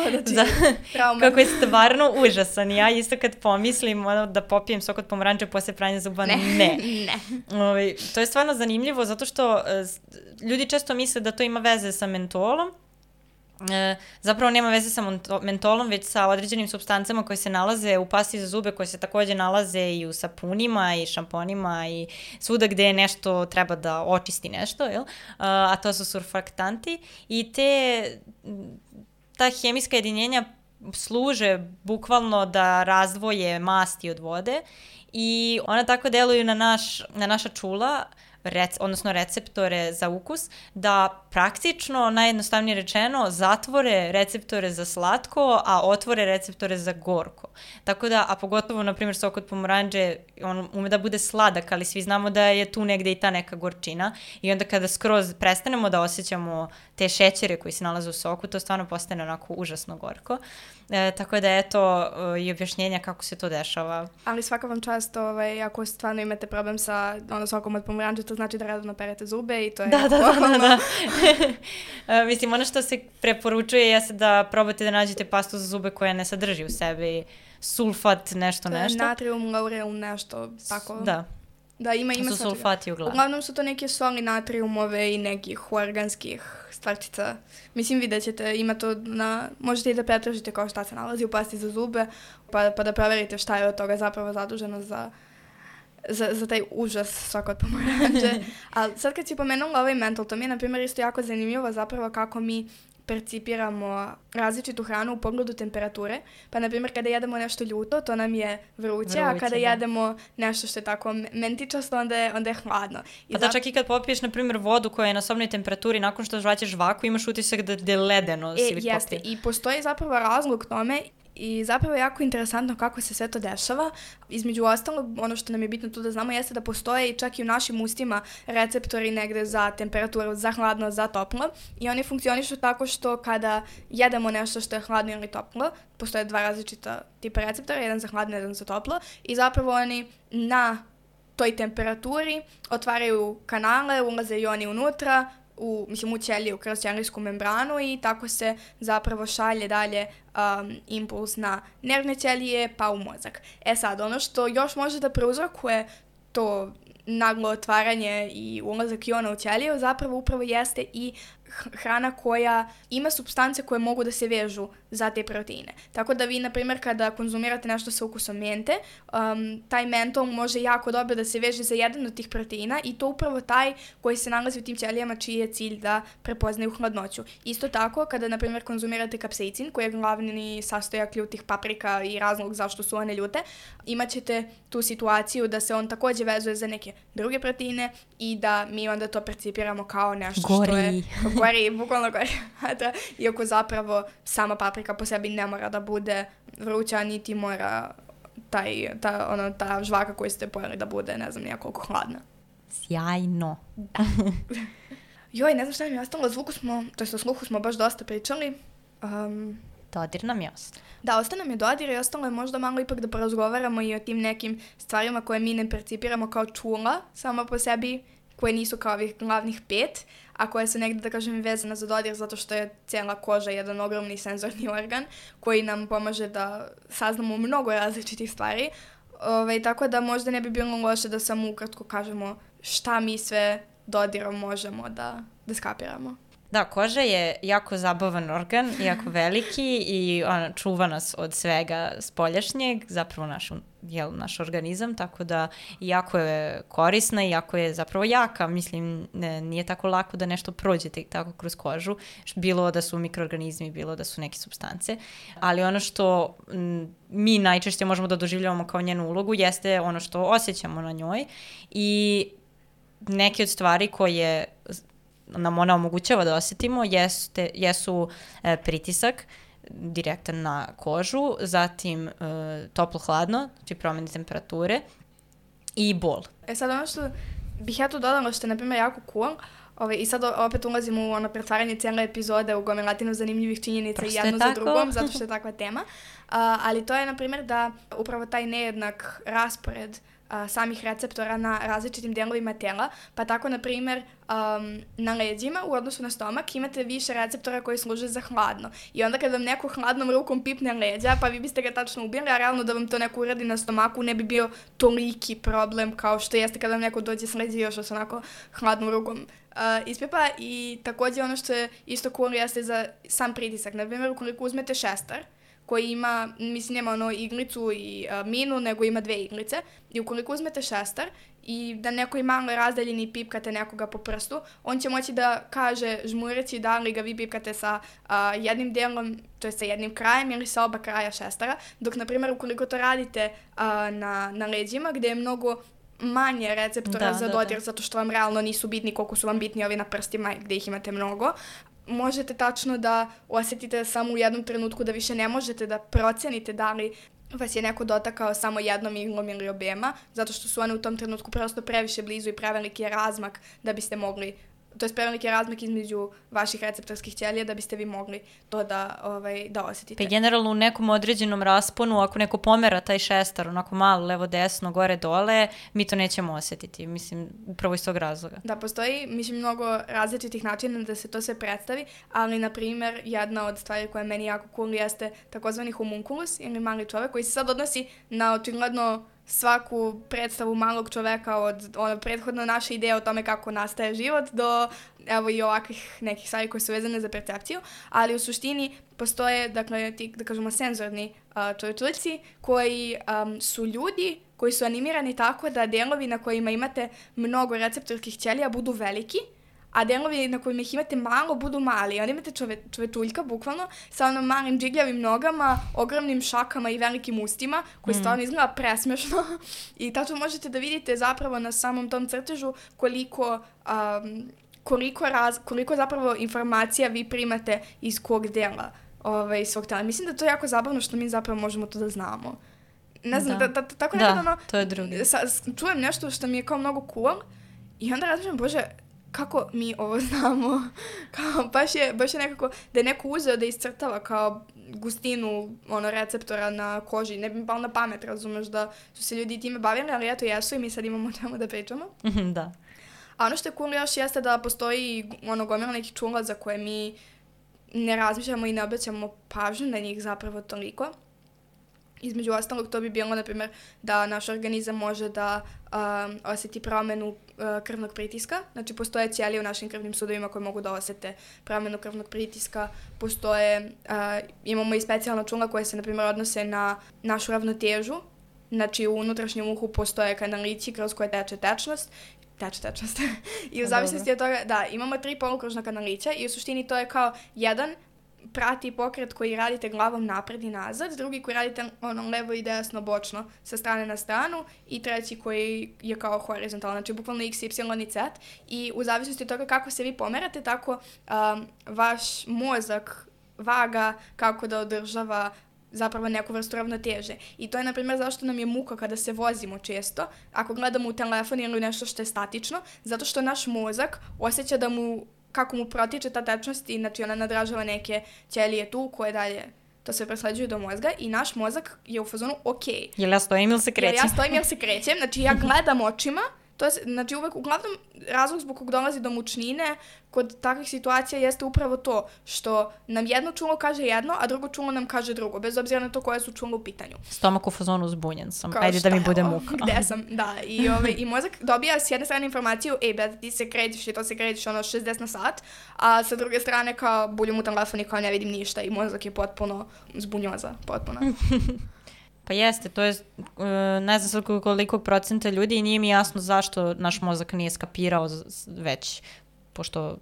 znači, za, trauma. kako je stvarno užasan. Ja isto kad pomislim ono, da popijem sok od pomoranđe posle pranja zuba, ne. ne. ne. Ove, to je stvarno zanimljivo zato što uh, ljudi često misle da to ima veze sa mentolom. E, zapravo nema veze sa mentolom, već sa određenim supstancama koje se nalaze u pasti za zube, koje se takođe nalaze i u sapunima i šamponima i svuda gde nešto treba da očisti nešto, jel? A, a to su surfaktanti i te, ta hemijska jedinjenja služe bukvalno da razdvoje masti od vode i ona tako deluju na, naš, na naša čula, Rec, odnosno receptore za ukus, da praktično, najjednostavnije rečeno, zatvore receptore za slatko, a otvore receptore za gorko. Tako da, a pogotovo, na primjer, sok od pomoranđe, on ume da bude sladak, ali svi znamo da je tu negde i ta neka gorčina i onda kada skroz prestanemo da osjećamo te šećere koji se nalaze u soku, to stvarno postane onako užasno gorko. E, tako da, eto, i objašnjenja kako se to dešava. Ali svaka vam čast, ovaj, ako stvarno imate problem sa ono, sokom od pomoranđe, to znači da redovno perete zube i to je... Da, da, da, da, da. uh, mislim, ono što se preporučuje jeste da probate da nađete pastu za zube koja ne sadrži u sebi sulfat, nešto, nešto. Natrium, laureum, nešto, tako. Da. Da, ima, ima su sulfati uglavnom. Uglavnom su to neke soli natriumove i nekih organskih stvarčica. Mislim, vidjet ćete, ima to na... Možete i da pretražite kao šta se nalazi u pasti za zube, pa, pa da proverite šta je od toga zapravo zaduženo za... Za, za taj užas sok od pomoranđe. Ali sad kad si pomenula ovaj mentol, to mi je, na primjer, isto jako zanimljivo zapravo kako mi percipiramo različitu hranu u pogledu temperature. Pa, na primjer, kada jedemo nešto ljuto, to nam je vruće, vruće a kada da. jedemo nešto što je tako mentičasto, onda je, onda je hladno. I pa da, čak i kad popiješ, na primjer, vodu koja je na sobnoj temperaturi, nakon što žvaćeš žvaku, imaš utisak da je ledeno. E, jeste. Popije. I postoji zapravo razlog tome. I zapravo je jako interesantno kako se sve to dešava. Između ostalog, ono što nam je bitno tu da znamo jeste da postoje i čak i u našim ustima receptori negde za temperaturu, za hladno, za toplo. I oni funkcionišu tako što kada jedemo nešto što je hladno ili toplo, postoje dva različita tipa receptora, jedan za hladno, jedan za toplo. I zapravo oni na toj temperaturi otvaraju kanale, ulaze i oni unutra, u, mislim, u ćeliju, kroz ćelijsku membranu i tako se zapravo šalje dalje um, impuls na nervne ćelije pa u mozak. E sad, ono što još može da prouzrokuje to naglo otvaranje i ulazak iona u ćeliju zapravo upravo jeste i hrana koja ima supstance koje mogu da se vežu za te proteine. Tako da vi, na primjer, kada konzumirate nešto sa ukusom mente, um, taj mentol može jako dobro da se veže za jedan od tih proteina i to upravo taj koji se nalazi u tim ćelijama čiji je cilj da prepoznaju hladnoću. Isto tako, kada, na primjer, konzumirate kapsaicin, koji je glavni sastojak ljutih paprika i razlog zašto su one ljute, imat ćete tu situaciju da se on takođe vezuje za neke druge proteine i da mi onda to percipiramo kao nešto Gori. što je... Gori, bukvalno gori. Iako zapravo sama paprika po sebi ne mora da bude vruća, niti mora taj, ta, ono, ta žvaka koju ste pojeli da bude, ne znam, nijakoliko hladna. Sjajno. Da. Joj, ne znam šta mi je ostalo, zvuku smo, to jest o sluhu smo baš dosta pričali. Um, dodir nam je ostalo. Da, ostalo nam je dodir i ostalo je možda malo ipak da porazgovaramo i o tim nekim stvarima koje mi ne percipiramo kao čula samo po sebi, koje nisu kao ovih glavnih pet, a koje su negde, da kažem, vezane za dodir zato što je cijela koža jedan ogromni senzorni organ koji nam pomaže da saznamo mnogo različitih stvari. Ove, tako da možda ne bi bilo loše da samo ukratko kažemo šta mi sve dodirom možemo da, da skapiramo. Da, koža je jako zabavan organ, jako veliki i ona čuva nas od svega spoljašnjeg, zapravo naš, jel, naš organizam, tako da jako je korisna i jako je zapravo jaka. Mislim, ne, nije tako lako da nešto prođe tako kroz kožu, bilo da su mikroorganizmi, bilo da su neke supstance, ali ono što m, mi najčešće možemo da doživljavamo kao njenu ulogu jeste ono što osjećamo na njoj i neke od stvari koje nam ona omogućava da osetimo jeste, jesu e, pritisak direktan na kožu, zatim e, toplo-hladno, znači promjene temperature i bol. E sad ono što bih ja tu dodala što je na primjer jako cool, Ove, i sad opet ulazimo u ono pretvaranje cijele epizode u gomilatinu zanimljivih činjenica i jedno za drugom, zato što je takva tema. Uh, ali to je, na primjer, da upravo taj nejednak raspored uh, samih receptora na različitim delovima tela, pa tako, na primjer, um, na leđima u odnosu na stomak imate više receptora koji služe za hladno. I onda kad vam neko hladnom rukom pipne leđa, pa vi biste ga tačno ubili, a realno da vam to neko uradi na stomaku ne bi bio toliki problem kao što jeste kada vam neko dođe s leđa još s onako hladnom rukom Uh, ispepa. I također ono što je isto cool jeste za sam pritisak. Na primjer, ukoliko uzmete šestar koji ima, mislim, nema ono iglicu i uh, minu, nego ima dve iglice, i ukoliko uzmete šestar i da neko je malo razdaljeni i pipkate nekoga po prstu, on će moći da kaže žmureći da li ga vi pipkate sa uh, jednim delom, to je sa jednim krajem ili sa oba kraja šestara, dok, na primjer, ukoliko to radite uh, na, na leđima gdje je mnogo manje receptora da, za dodir, da, da. zato što vam realno nisu bitni koliko su vam bitni ovi na prstima gdje ih imate mnogo, možete tačno da osjetite samo u jednom trenutku da više ne možete da procenite da li vas je neko dotakao samo jednom iglom ili objema, zato što su one u tom trenutku prosto previše blizu i preveliki je razmak da biste mogli, to je preveliki je razmak između vaših receptorskih ćelija da biste vi mogli to da, ovaj, da osjetite. Pa generalno u nekom određenom rasponu, ako neko pomera taj šestar, onako malo, levo, desno, gore, dole, mi to nećemo osjetiti, mislim, upravo iz tog razloga. Da, postoji, mislim, mnogo različitih načina da se to sve predstavi, ali, na primjer, jedna od stvari koja je meni jako cool jeste takozvani homunculus, ili mali čovek, koji se sad odnosi na očigledno svaku predstavu malog čoveka od ono, prethodno naše ideje o tome kako nastaje život do evo i ovakvih nekih stvari koje su vezane za percepciju, ali u suštini postoje, dakle, ti, da kažemo, senzorni uh, čovječlici koji um, su ljudi koji su animirani tako da delovi na kojima imate mnogo receptorskih ćelija budu veliki, a delovi na kojima ih imate malo budu mali. Onda imate čove, čovetuljka, bukvalno, sa onom malim džigljavim nogama, ogromnim šakama i velikim ustima, koji mm. stvarno izgleda presmešno. I tačno možete da vidite zapravo na samom tom crtežu koliko, um, koliko, raz, koliko zapravo informacija vi primate iz kog dela ovaj, svog tela. Mislim da to je jako zabavno što mi zapravo možemo to da znamo. Ne znam, da, da, da, tako nekad da, ono, to je drugi. Sa, čujem nešto što mi je kao mnogo cool i onda razmišljam, bože, kako mi ovo znamo, kao, baš, je, baš je nekako, da je neko uzeo da iscrtava kao gustinu ono, receptora na koži, ne bi mi palo na pamet, razumeš, da su se ljudi time bavili, ali eto jesu i mi sad imamo o čemu da pričamo. Da. A ono što je cool još jeste da postoji ono gomila nekih čula za koje mi ne razmišljamo i ne obraćamo pažnju na njih zapravo toliko. Između ostalog, to bi bilo, na primjer, da naš organizam može da um, osjeti promjenu uh, krvnog pritiska. Znači, postoje ćelije u našim krvnim sudovima koje mogu da osjete promjenu krvnog pritiska. Postoje, uh, imamo i specijalna čula koje se, na primjer, odnose na našu ravnotežu. Znači, u unutrašnjem uhu postoje kanalići kroz koje teče tečnost. Teče tečnost. I u zavisnosti od toga, da, imamo tri polukružna kanalića i u suštini to je kao jedan prati pokret koji radite glavom napred i nazad, drugi koji radite ono levo i desno, bočno, sa strane na stranu i treći koji je kao horizontalno, znači bukvalno x, y i z. I u zavisnosti od toga kako se vi pomerate, tako um, vaš mozak vaga kako da održava zapravo neku vrstu ravnoteže. I to je, na primjer, zašto nam je muka kada se vozimo često, ako gledamo u telefon ili nešto što je statično, zato što naš mozak osjeća da mu kako mu protiče ta tečnost i znači ona nadražava neke ćelije tu koje dalje to se presleđuje do mozga i naš mozak je u fazonu ok. Jel ja stojim ili se krećem? Jel ja stojim ili se krećem, znači ja gledam očima, to je, znači uvek, uglavnom razlog zbog kog dolazi do mučnine kod takvih situacija jeste upravo to što nam jedno čulo kaže jedno, a drugo čulo nam kaže drugo, bez obzira na to koje su čulo u pitanju. Stomak u fazonu zbunjen sam, kao ajde da mi bude muka. Gde sam, da, i, ove, i mozak dobija s jedne strane informaciju, ej, brate, ti se krećeš i to se krećeš ono šezdeset na sat, a sa druge strane kao buljum u telefon i kao ne vidim ništa i mozak je potpuno zbunjoza, potpuno. Pa jeste, to je, ne znam sad koliko procenta ljudi i nije mi jasno zašto naš mozak nije skapirao već, pošto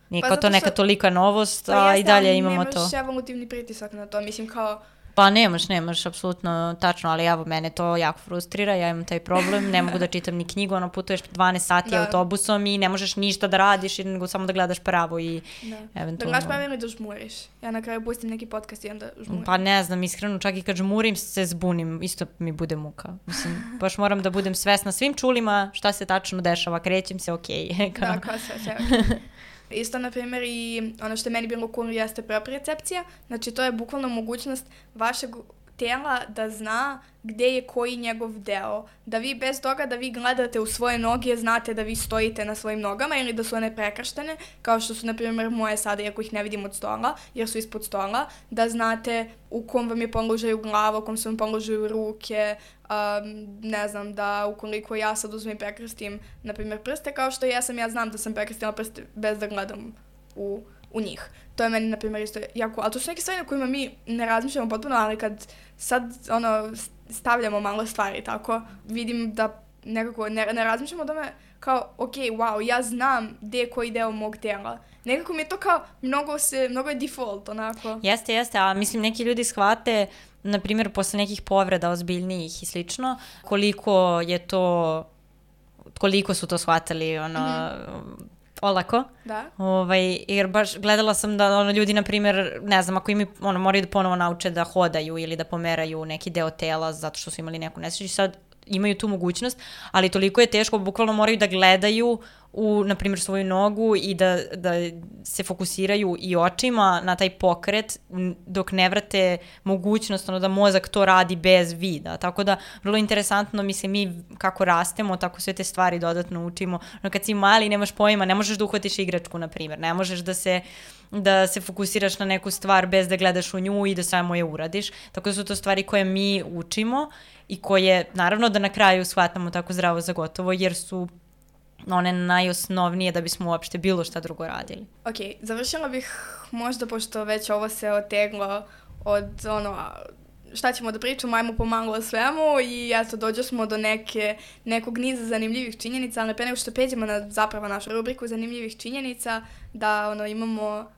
nije pa kao to neka što, tolika novost, pa a i dalje imamo to. Nemaš evolutivni pritisak na to, mislim kao, Pa nemaš, nemaš, apsolutno tačno, ali evo, mene to jako frustrira, ja imam taj problem, ne mogu da čitam ni knjigu, ono, putuješ dvanaest sati da. autobusom i ne možeš ništa da radiš, nego samo da gledaš pravo i da. eventualno... Da gledaš pravo ili da žmuriš. Ja na kraju pustim neki podcast i onda žmurim. Pa ne znam, iskreno, čak i kad žmurim se zbunim, isto mi bude muka. Mislim, baš moram da budem svesna svim čulima šta se tačno dešava, krećem se, okej. Okay. Da, kao sve, sve, okay. Isto, na primjer, i ono što je meni bilo cool jeste propriocepcija. Znači, to je bukvalno mogućnost vašeg tela da zna gde je koji njegov deo. Da vi bez toga da vi gledate u svoje noge, znate da vi stojite na svojim nogama ili da su one prekrštene, kao što su, na primjer, moje sada, iako ih ne vidim od stola, jer su ispod stola, da znate u kom vam je položaju glava, u kom su vam položaju ruke, um, ne znam, da ukoliko ja sad uzmem i prekrstim, na primjer, prste, kao što ja sam, ja znam da sam prekrstila prste bez da gledam u, u njih. To je meni, na primjer, isto jako, ali to su neke stvari na kojima mi ne razmišljamo potpuno, ali kad sad, ono, stavljamo malo stvari, tako, vidim da nekako ne, ne razmišljamo o tome kao, ok, wow, ja znam gde je koji deo mog tela. Nekako mi je to kao, mnogo se, mnogo je default, onako. Jeste, jeste, a mislim, neki ljudi shvate, na primjer, posle nekih povreda ozbiljnijih i slično, koliko je to, koliko su to shvatili, ono, mm-hmm. olako. Da. Ovaj, jer baš gledala sam da ono, ljudi, na primjer, ne znam, ako im ono, moraju da ponovo nauče da hodaju ili da pomeraju neki deo tela zato što su imali neku nesreću, sad imaju tu mogućnost, ali toliko je teško, bukvalno moraju da gledaju u, na primjer, svoju nogu i da, da se fokusiraju i očima na taj pokret dok ne vrate mogućnost ono, da mozak to radi bez vida. Tako da, vrlo interesantno, mislim, mi kako rastemo, tako sve te stvari dodatno učimo. No, kad si mali, nemaš pojma, ne možeš da uhvatiš igračku, na primjer, ne možeš da se da se fokusiraš na neku stvar bez da gledaš u nju i da samo je uradiš. Tako da su to stvari koje mi učimo i koje, naravno, da na kraju shvatamo tako zdravo za gotovo, jer su one najosnovnije da bismo uopšte bilo šta drugo radili. Ok, završila bih možda, pošto već ovo se oteglo od ono, šta ćemo da pričamo, ajmo pomalo o svemu i eto, dođe smo do neke, nekog niza zanimljivih činjenica, ali pre nego što peđemo na zapravo našu rubriku zanimljivih činjenica, da ono, imamo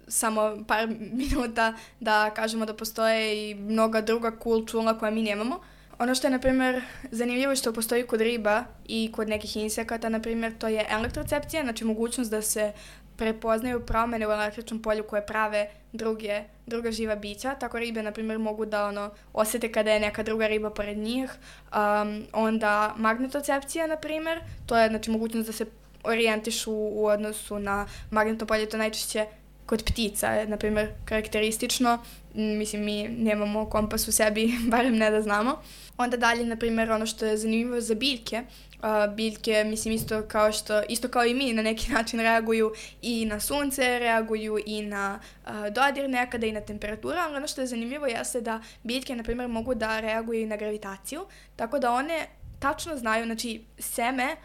samo par minuta da kažemo da postoje i mnoga druga cool čula koja mi nemamo. Ono što je, na primjer, zanimljivo što postoji kod riba i kod nekih insekata, na primjer, to je elektrocepcija, znači mogućnost da se prepoznaju promene u električnom polju koje prave druge, druga živa bića. Tako ribe, na primjer, mogu da ono, osjete kada je neka druga riba pored njih. Um, onda magnetocepcija, na primjer, to je znači, mogućnost da se orijentišu u odnosu na magnetno polje, to najčešće kod ptica je, na primjer, karakteristično. Mislim, mi nemamo kompas u sebi, barem ne da znamo. Onda dalje, na primjer, ono što je zanimljivo za biljke. Uh, biljke, mislim, isto kao što, isto kao i mi, na neki način reaguju i na sunce, reaguju i na uh, dodir nekada i na temperaturu, ali ono što je zanimljivo jeste da biljke, na primjer, mogu da reaguju i na gravitaciju, tako da one tačno znaju, znači, seme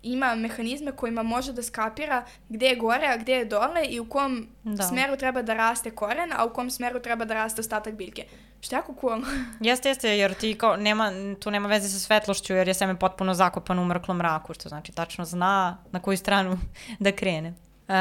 ima mehanizme kojima može da skapira gde je gore, a gde je dole i u kom da. smeru treba da raste koren, a u kom smeru treba da raste ostatak biljke. Što je jako cool. Jeste, jeste, jer ti kao nema, tu nema veze sa svetlošću, jer je seme potpuno zakopano u mrklom mraku, što znači tačno zna na koju stranu da krene. Uh,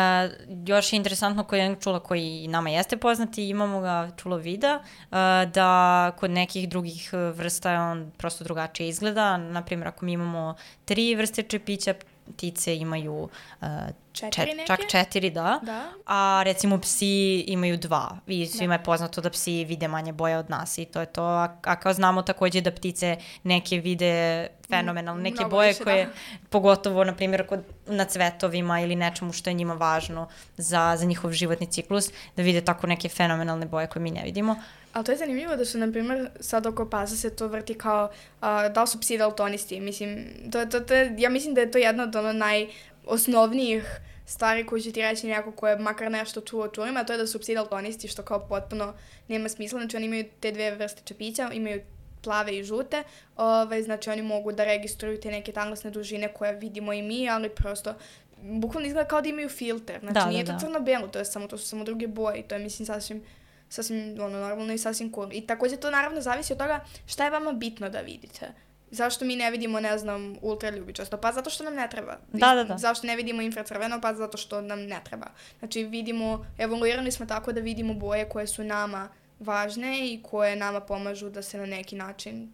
još je interesantno koji je čula koji nama jeste poznati, imamo ga čulovida, uh, da kod nekih drugih vrsta on prosto drugačije izgleda. Naprimjer, ako mi imamo tri vrste čepića, ptice imaju uh, četiri čet, čak četiri, da. da, a recimo psi imaju dva. I svima da. je poznato da psi vide manje boje od nas i to je to. A, a kao znamo takođe da ptice neke vide fenomenalno, neke Mnogo boje više, koje, da. pogotovo, na primjer, kod, na cvetovima ili nečemu što je njima važno za, za njihov životni ciklus, da vide tako neke fenomenalne boje koje mi ne vidimo. Ali to je zanimljivo da su, na primjer, sad oko pasa se to vrti kao uh, da li su psi daltonisti. Mislim, to, to, to, ja mislim da je to jedna od ono najosnovnijih stvari koju će ti reći neko ko je makar nešto čuo o čulima, a to je da su psi daltonisti, što kao potpuno nema smisla. Znači, oni imaju te dve vrste čepića, imaju plave i žute, ovaj, znači oni mogu da registruju te neke talasne dužine koje vidimo i mi, ali prosto bukvalno izgleda kao da imaju filter. Znači, da, nije da, to crno-belo, to je samo, to su samo druge boje i to je, mislim, sasvim sasvim ono, normalno i sasvim cool. I također to naravno zavisi od toga šta je vama bitno da vidite. Zašto mi ne vidimo, ne znam, ultraljubičasto? Pa zato što nam ne treba. Da, da, da. Zašto ne vidimo infracrveno? Pa zato što nam ne treba. Znači vidimo, evoluirani smo tako da vidimo boje koje su nama važne i koje nama pomažu da se na neki način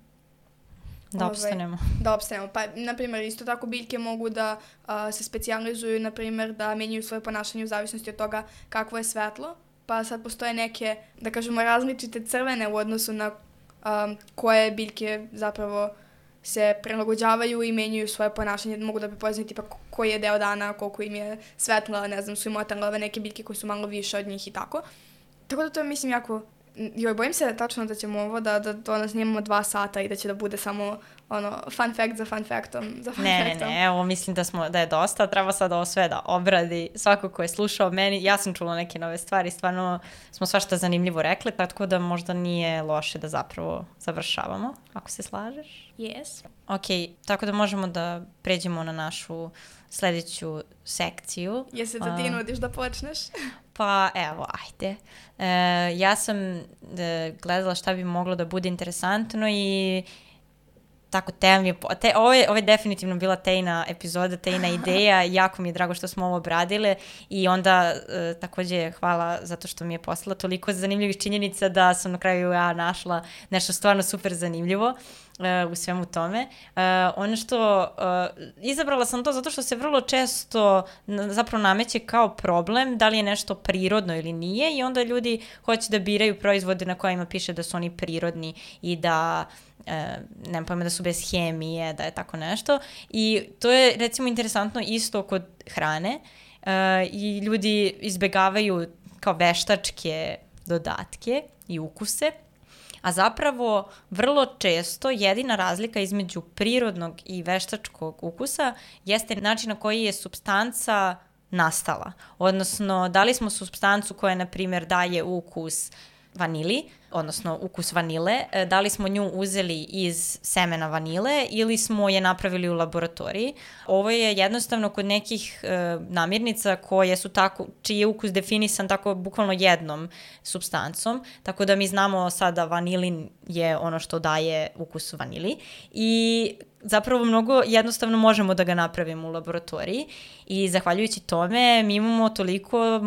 Da opstanemo. Ovaj, da opstanemo. Pa, na primjer, isto tako biljke mogu da a, se specijalizuju, na primjer, da menjaju svoje ponašanje u zavisnosti od toga kakvo je svetlo. Pa sad postoje neke, da kažemo, različite crvene u odnosu na a, koje biljke zapravo se prilagođavaju i menjaju svoje ponašanje. Mogu da prepoznaju tipa koji je deo dana, koliko im je svetla, ne znam, su im otale ove neke biljke koje su malo više od njih i tako. Tako da to je, mislim, jako... Joj, bojim se tačno da ćemo ovo da, da to nas snimamo dva sata i da će da bude samo ono, fun fact za fun factom. Za fun ne, factom. ne, ne, evo mislim da, smo, da je dosta, treba sad ovo sve da obradi svako ko je slušao meni. Ja sam čula neke nove stvari, stvarno smo svašta zanimljivo rekli, tako da možda nije loše da zapravo završavamo, ako se slažeš. Yes. Ok, tako da možemo da pređemo na našu sledeću sekciju. Jesi da ti nudiš da počneš? Pa evo, ajde. E, ja sam e, gledala šta bi moglo da bude interesantno i tako te mi je... Te, ovo, je, ovo je definitivno bila Tejna epizoda, Tejna ideja. Jako mi je drago što smo ovo obradile i onda e, takođe hvala zato što mi je poslala toliko zanimljivih činjenica da sam na kraju ja našla nešto stvarno super zanimljivo u svemu tome. Uh, ono što, uh, izabrala sam to zato što se vrlo često zapravo nameće kao problem da li je nešto prirodno ili nije i onda ljudi hoće da biraju proizvode na kojima piše da su oni prirodni i da uh, nema pojma da su bez hemije, da je tako nešto. I to je recimo interesantno isto kod hrane uh, i ljudi izbegavaju kao veštačke dodatke i ukuse. A zapravo vrlo često jedina razlika između prirodnog i veštačkog ukusa jeste način na koji je supstanca nastala. Odnosno, dali smo supstancu koja, na primjer, daje ukus vanili, odnosno ukus vanile, da li smo nju uzeli iz semena vanile ili smo je napravili u laboratoriji. Ovo je jednostavno kod nekih e, namirnica koje su tako, čiji je ukus definisan tako bukvalno jednom supstancom, tako da mi znamo sada vanilin je ono što daje ukus vanili i zapravo mnogo jednostavno možemo da ga napravimo u laboratoriji i zahvaljujući tome mi imamo toliko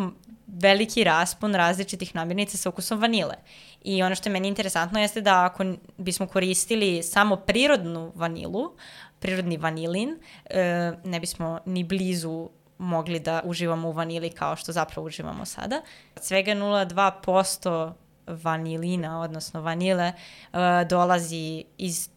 veliki raspon različitih namirnica sa ukusom vanile. I ono što je meni interesantno jeste da ako bismo koristili samo prirodnu vanilu, prirodni vanilin, ne bismo ni blizu mogli da uživamo u vanili kao što zapravo uživamo sada. Svega nula zarez dva posto vanilina, odnosno vanile, dolazi iz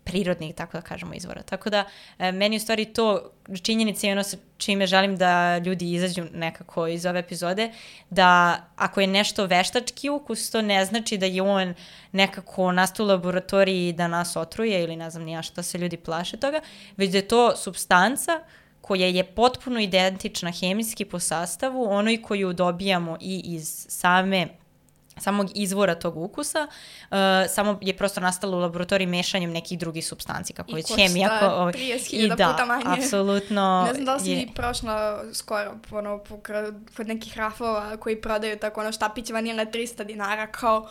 prirodnih, tako da kažemo, izvora. Tako da, meni u stvari to činjenica i ono sa čime želim da ljudi izađu nekako iz ove epizode, da ako je nešto veštački ukus, to ne znači da je on nekako nastao u laboratoriji da nas otruje ili ne znam ni ja što se ljudi plaše toga, već da je to supstanca koja je potpuno identična hemijski po sastavu, onoj koju dobijamo i iz same samog izvora tog ukusa, uh, samo je prosto nastalo u laboratoriji mešanjem nekih drugih supstanci, kako već hemija. I košta trideset hiljada puta manje. I da, apsolutno. Ne znam da li si je... prošla skoro ono, kod nekih rafova koji prodaju tako ono štapić vanile trista dinara, kao...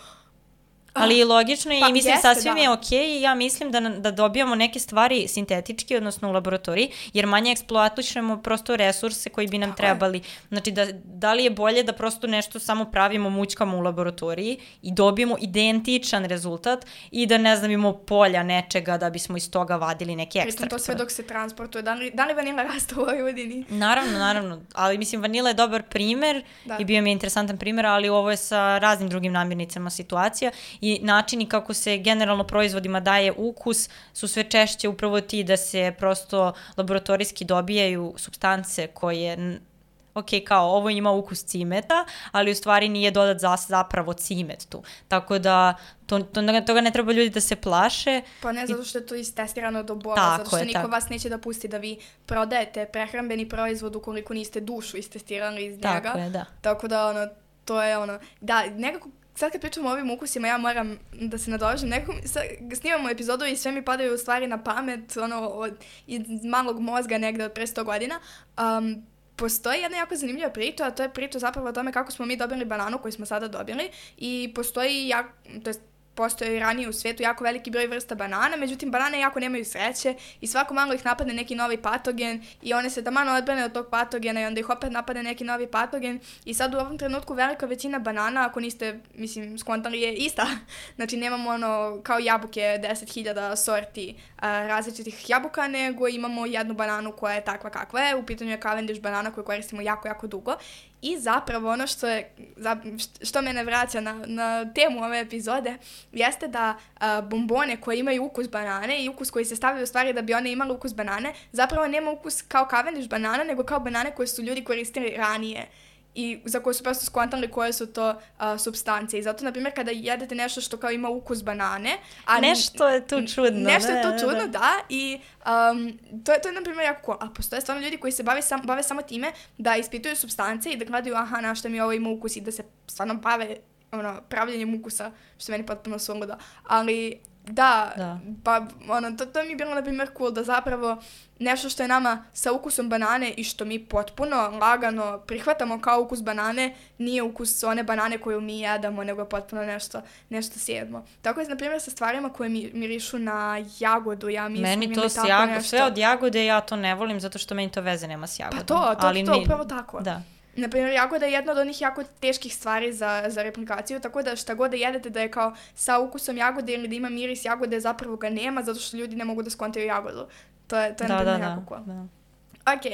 Ali logično je pa, i mislim jeste, sasvim da. je okej i ja mislim da, da dobijamo neke stvari sintetički, odnosno u laboratoriji, jer manje eksploatišemo prosto resurse koji bi nam tako trebali. Je. Znači da, da li je bolje da prosto nešto samo pravimo, mućkamo u laboratoriji i dobijemo identičan rezultat i da ne znam imamo polja nečega da bismo iz toga vadili neke ekstrakte. Pritom to sve dok se transportuje. Da li, da li vanila raste u Vojvodini? Naravno, naravno. Ali mislim vanila je dobar primer da. I bio mi je interesantan primer, ali ovo je sa raznim drugim namirnicama situacija i načini kako se generalno proizvodima daje ukus su sve češće upravo ti da se prosto laboratorijski dobijaju supstance koje, ok, kao ovo ima ukus cimeta, ali u stvari nije dodat za, zapravo cimet tu. Tako da to, to, toga ne treba ljudi da se plaše. Pa ne, zato što je to istestirano do bola, zato što je, niko tako. Vas neće da pusti da vi prodajete prehrambeni proizvod ukoliko niste dušu istestirali iz njega. Tako je, da. Tako da, ono, to je ono, da, nekako sad kad pričamo o ovim ukusima, ja moram da se nadovežem. Nekako, snimamo epizodu i sve mi padaju u stvari na pamet, ono, od, iz malog mozga negde od pre sto godina. Um, postoji jedna jako zanimljiva priča, a to je priča zapravo o tome kako smo mi dobili bananu koju smo sada dobili i postoji, jak, to je postoje i ranije u svetu jako veliki broj vrsta banana, međutim banane jako nemaju sreće i svako malo ih napadne neki novi patogen i one se taman odbrane od tog patogena i onda ih opet napadne neki novi patogen i sad u ovom trenutku velika većina banana, ako niste, mislim, skontali je ista. Znači nemamo ono kao jabuke deset hiljada sorti uh, različitih jabuka, nego imamo jednu bananu koja je takva kakva je. U pitanju je Cavendish banana koju koristimo jako, jako dugo. I zapravo ono što, je, što mene vraća na, na temu ove epizode jeste da uh, bombone koje imaju ukus banane i ukus koji se stavljaju u stvari da bi one imale ukus banane, zapravo nema ukus kao Cavendish banana, nego kao banane koje su ljudi koristili ranije i za koje su prosto skontali koje su to uh, supstance. I zato, na primjer, kada jedete nešto što kao ima ukus banane... A nešto je tu čudno. Nešto ne, je tu ne, čudno, da. da. I um, to, je, to je, na primjer, jako cool. A postoje stvarno ljudi koji se bave, sam, bave samo time da ispituju supstance i da gledaju, aha, na što mi ovo ima ukus i da se stvarno bave ono, pravljenjem ukusa, što meni potpuno suludo. Ali... Da, da, pa ono, to, to mi je bilo, na primjer, cool da zapravo nešto što je nama sa ukusom banane i što mi potpuno lagano prihvatamo kao ukus banane, nije ukus one banane koju mi jedamo, nego je potpuno nešto, nešto sjedmo. Tako je, na primjer, sa stvarima koje mi, mirišu na jagodu, ja mislim. Meni to s jagodom, sve od jagode ja to ne volim zato što meni to veze nema s jagodom. Pa to, to, ali to, mi... upravo tako. Da. Naprimjer, jagoda je jedna od onih jako teških stvari za, za replikaciju, tako da šta god da jedete da je kao sa ukusom jagode ili da ima miris jagode, zapravo ga nema, zato što ljudi ne mogu da skontaju jagodu. To je, to je da, naprimjer da, jako da, cool. Da. Ok.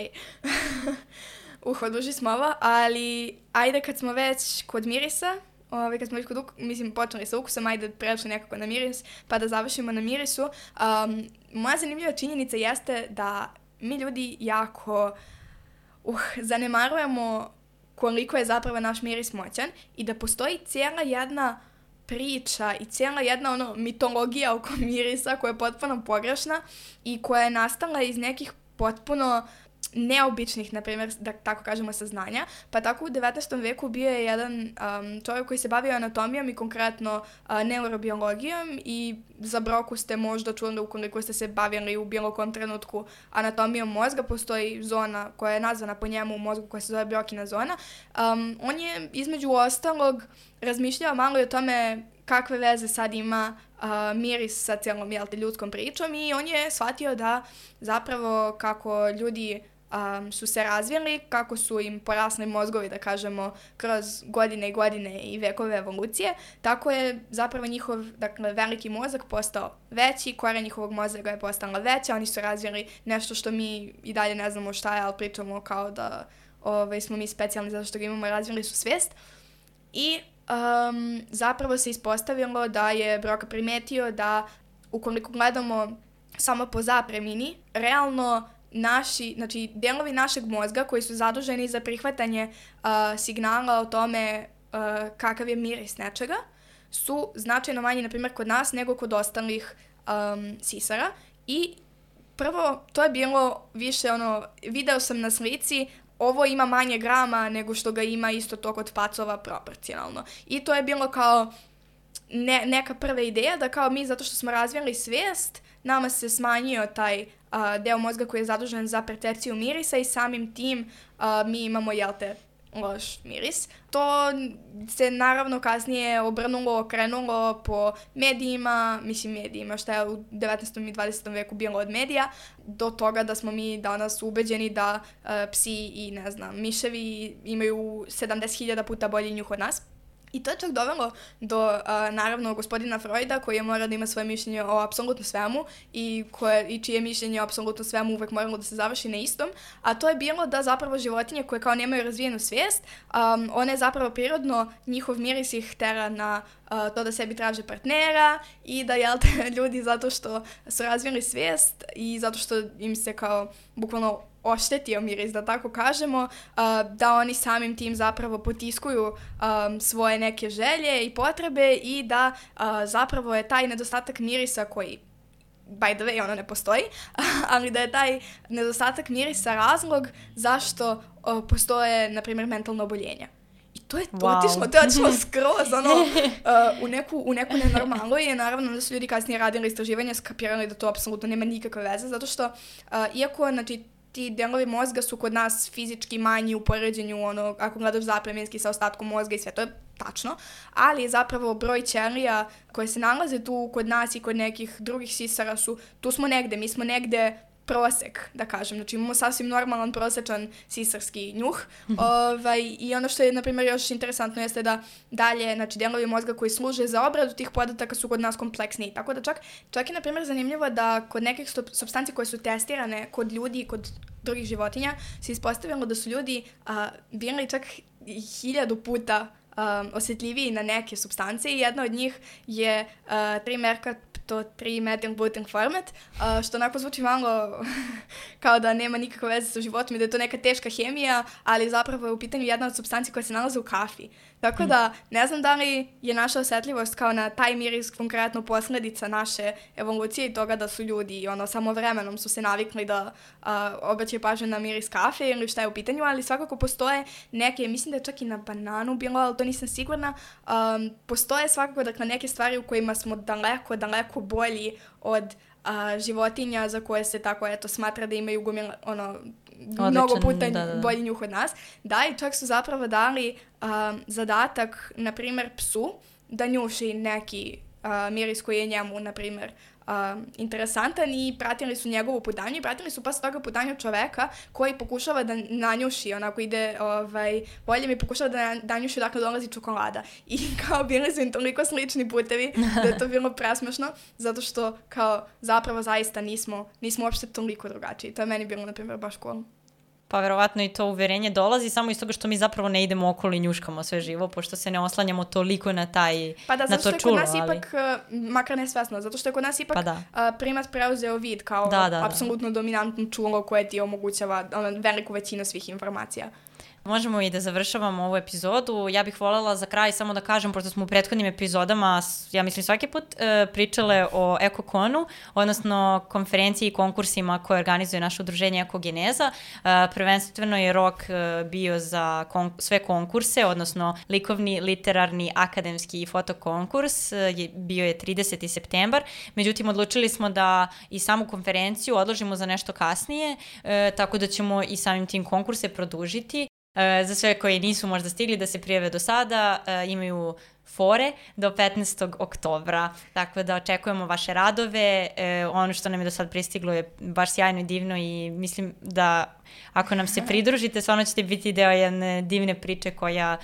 uh, oduži smo ovo, ali ajde kad smo već kod mirisa, ovaj, kad smo već kod uk- mislim, počeli sa ukusom, ajde prešli nekako na miris, pa da završimo na mirisu. Um, moja zanimljiva činjenica jeste da mi ljudi jako... Uh, zanemarujemo koliko je zapravo naš miris moćan i da postoji cijela jedna priča i cijela jedna ono mitologija oko mirisa koja je potpuno pogrešna i koja je nastala iz nekih potpuno neobičnih, na primjer, da tako kažemo, saznanja. Pa tako u devetnaestom veku bio je jedan um, čovjek koji se bavio anatomijom i konkretno uh, neurobiologijom i za broku ste možda čuli ukoliko ste se bavili u bilo kom trenutku anatomijom mozga. Postoji zona koja je nazvana po njemu u mozgu koja se zove Brokina zona. Um, on je između ostalog razmišljao malo i o tome kakve veze sad ima uh, miris sa cijelom jelte, ljudskom pričom i on je shvatio da zapravo kako ljudi Um, su se razvijeli, kako su im porasli mozgovi, da kažemo, kroz godine i godine i vekove evolucije, tako je zapravo njihov, dakle, veliki mozak postao veći, koren njihovog mozga je postala veća, oni su razvijeli nešto što mi i dalje ne znamo šta je, ali pričamo kao da ovaj, smo mi specijalni zato što ga imamo, razvijeli su svijest. I um, zapravo se ispostavilo da je Broca primetio da ukoliko gledamo samo po zapremini, realno naši, znači delovi našeg mozga koji su zaduženi za prihvatanje uh, signala o tome uh, kakav je miris nečega, su značajno manji, na primjer, kod nas nego kod ostalih um, sisara. I prvo, to je bilo više ono, video sam na slici, ovo ima manje grama nego što ga ima isto to kod pacova proporcionalno. I to je bilo kao ne, neka prva ideja da kao mi, zato što smo razvijali svijest, nama se smanjio taj uh, deo mozga koji je zadužen za percepciju mirisa i samim tim uh, mi imamo, jel te, loš miris. To se naravno kasnije obrnulo, okrenulo po medijima, mislim medijima, šta je u devetnaestom i dvadesetom veku bilo od medija, do toga da smo mi danas ubeđeni da uh, psi i, ne znam, miševi imaju sedamdeset hiljada puta bolji njuh od nas. I to je čak dovelo do, uh, naravno, gospodina Freuda, koji je morao da ima svoje mišljenje o apsolutno svemu i, koje, i čije mišljenje o apsolutno svemu uvek moralo da se završi na istom, a to je bilo da zapravo životinje koje kao nemaju razvijenu svijest, um, one zapravo prirodno, njihov miris ih tera na uh, to da sebi traže partnera i da, jel te, ljudi zato što su razvijeli svijest i zato što im se kao bukvalno oštetio miris, da tako kažemo, uh, da oni samim tim zapravo potiskuju um, svoje neke želje i potrebe i da uh, zapravo je taj nedostatak mirisa koji, by the way, ono ne postoji, ali da je taj nedostatak mirisa razlog zašto uh, postoje, na primjer, mentalno oboljenja. I to je wow. otišlo, to je otišlo skroz, ono, uh, u, neku, u neku nenormalu i naravno da su ljudi kasnije radili istraživanja, skapirali da to apsolutno nema nikakve veze, zato što, uh, iako, znači, ti delovi mozga su kod nas fizički manji u poređenju, ono, ako gledaš zapremenski sa ostatkom mozga i sve, to je tačno, ali zapravo broj ćelija koje se nalaze tu kod nas i kod nekih drugih sisara su, tu smo negde, mi smo negde prosek, da kažem. Znači imamo sasvim normalan, prosečan sisarski njuh. ovaj, I ono što je, na primjer, još interesantno jeste da dalje, znači, delovi mozga koji služe za obradu tih podataka su kod nas kompleksniji. Tako da čak, čak je, na primjer, zanimljivo da kod nekih supstanci koje su testirane kod ljudi i kod drugih životinja se ispostavilo da su ljudi a, bili čak hiljadu puta Um, osjetljiviji na neke supstance i jedna od njih je uh, tri tri metil butyl format, uh, što onako zvuči malo kao da nema nikakve veze sa životom i da je to neka teška hemija, ali zapravo je u pitanju jedna od supstanci koja se nalaze u kafi. Tako da ne znam da li je naša osjetljivost kao na taj miris konkretno posljedica naše evolucije i toga da su ljudi ono, samo vremenom su se navikli da uh, obraćaju pažnju na miris kafe ili šta je u pitanju, ali svakako postoje neke, mislim da je čak i na bananu bilo, ali to nisam sigurna, um, postoje svakako dakle, neke stvari u kojima smo daleko, daleko bolji od uh, životinja za koje se tako eto smatra da imaju gomila, ono, Odličan, mnogo puta da, da. bolji njuh od nas. Da, i čak su zapravo dali um, zadatak, na primjer, psu da njuši neki uh, miris koji je njemu, na primjer, Uh, interesantan i pratili su njegovu putanju i pratili su posle toga putanju čoveka koji pokušava da nanjuši, onako ide ovaj, bolje mi pokušava da nanjuši dakle dolazi čokolada i kao bili su im toliko slični putevi da je to bilo presmešno zato što kao zapravo zaista nismo, nismo uopšte toliko drugačiji. To je meni bilo na primjer baš cool. Pa verovatno i to uverenje dolazi samo iz toga što mi zapravo ne idemo okolo i njuškamo sve živo, pošto se ne oslanjamo toliko na taj pa da, na to čulo. Pa da, zato što je kod nas ali... ipak, makar nesvesno, zato što je kod nas ipak pa da. primat preuzeo vid kao da, da, apsolutno da. dominantno čulo koje ti omogućava ono, veliku većinu svih informacija. Možemo i da završavamo ovu epizodu. Ja bih voljela za kraj samo da kažem, pošto smo u prethodnim epizodama, ja mislim svaki put, e, pričale o EkoKonu, odnosno konferenciji i konkursima koje organizuje naše udruženje Ekogeneza. E, prvenstveno je rok e, bio za kon- sve konkurse, odnosno likovni, literarni, akademski i fotokonkurs. E, je, bio je trideseti septembar. Međutim, odlučili smo da i samu konferenciju odložimo za nešto kasnije, e, tako da ćemo i samim tim konkurse produžiti. Uh, za sve koji nisu možda stigli da se prijave do sada, uh, imaju fore do petnaestog oktobra, tako da očekujemo vaše radove. Uh, ono što nam je do sad pristiglo je baš sjajno i divno i mislim da ako nam se pridružite, stvarno ćete biti deo jedne divne priče koja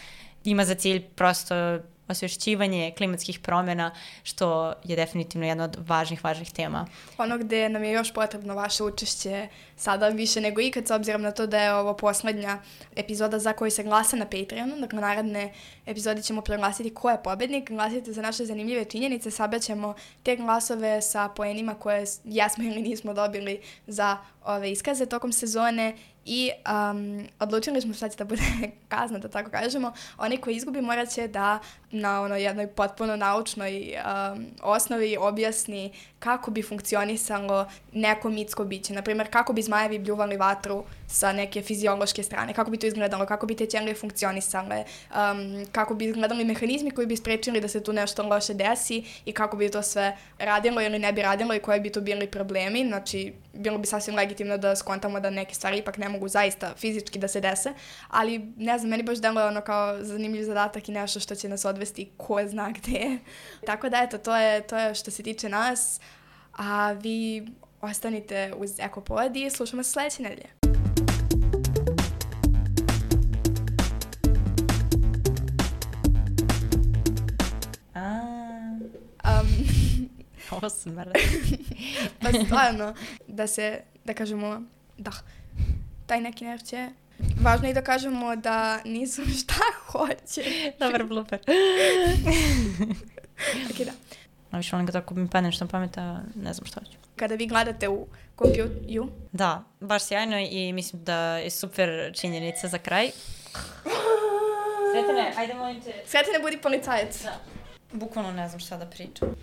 ima za cilj prosto osvješćivanje klimatskih promjena, što je definitivno jedna od važnih, važnih tema. Ono gde nam je još potrebno vaše učešće sada više nego ikad, s obzirom na to da je ovo poslednja epizoda za koju se glasa na Patreonu. Dakle, naredne epizode ćemo proglasiti ko je pobednik, glasite za naše zanimljive činjenice, sabraćemo te glasove sa poenima koje jesmo ili nismo dobili za ove iskaze tokom sezone i um, odlučili smo šta će da bude kazna, da tako kažemo. Oni koji izgubi morat će da na ono jednoj potpuno naučnoj um, osnovi objasni kako bi funkcionisalo neko mitsko biće. Naprimjer, kako bi zmajevi bljuvali vatru sa neke fiziološke strane, kako bi to izgledalo, kako bi te ćelije funkcionisale, um, kako bi izgledali mehanizmi koji bi sprečili da se tu nešto loše desi i kako bi to sve radilo ili ne bi radilo i koji bi to bili problemi. Znači, bilo bi sasvim legitimno da skontamo da neke stvari ipak ne mogu zaista fizički da se dese, ali ne znam, meni baš deluje ono kao zanimljiv zadatak i nešto što će nas odvesti ko zna gde. Tako da eto, to je, to je što se tiče nas, a vi ostanite uz Ekopod i slušamo se sledeće nedelje. Um, Ovo smrde. Pa stvarno, da se, da kažemo, da, taj neki nerće. Važno je da kažemo da nisu šta hoće. Dobar blooper. Ok, da. No, više volim ga tako mi padne što pameta, ne znam što hoću. Kada vi gledate u kompjuteru? Da, baš sjajno i mislim da je super činjenica za kraj. Sretane, ajde molim te. Sretane, budi policajac. Da. Bukvalno ne znam šta da pričam.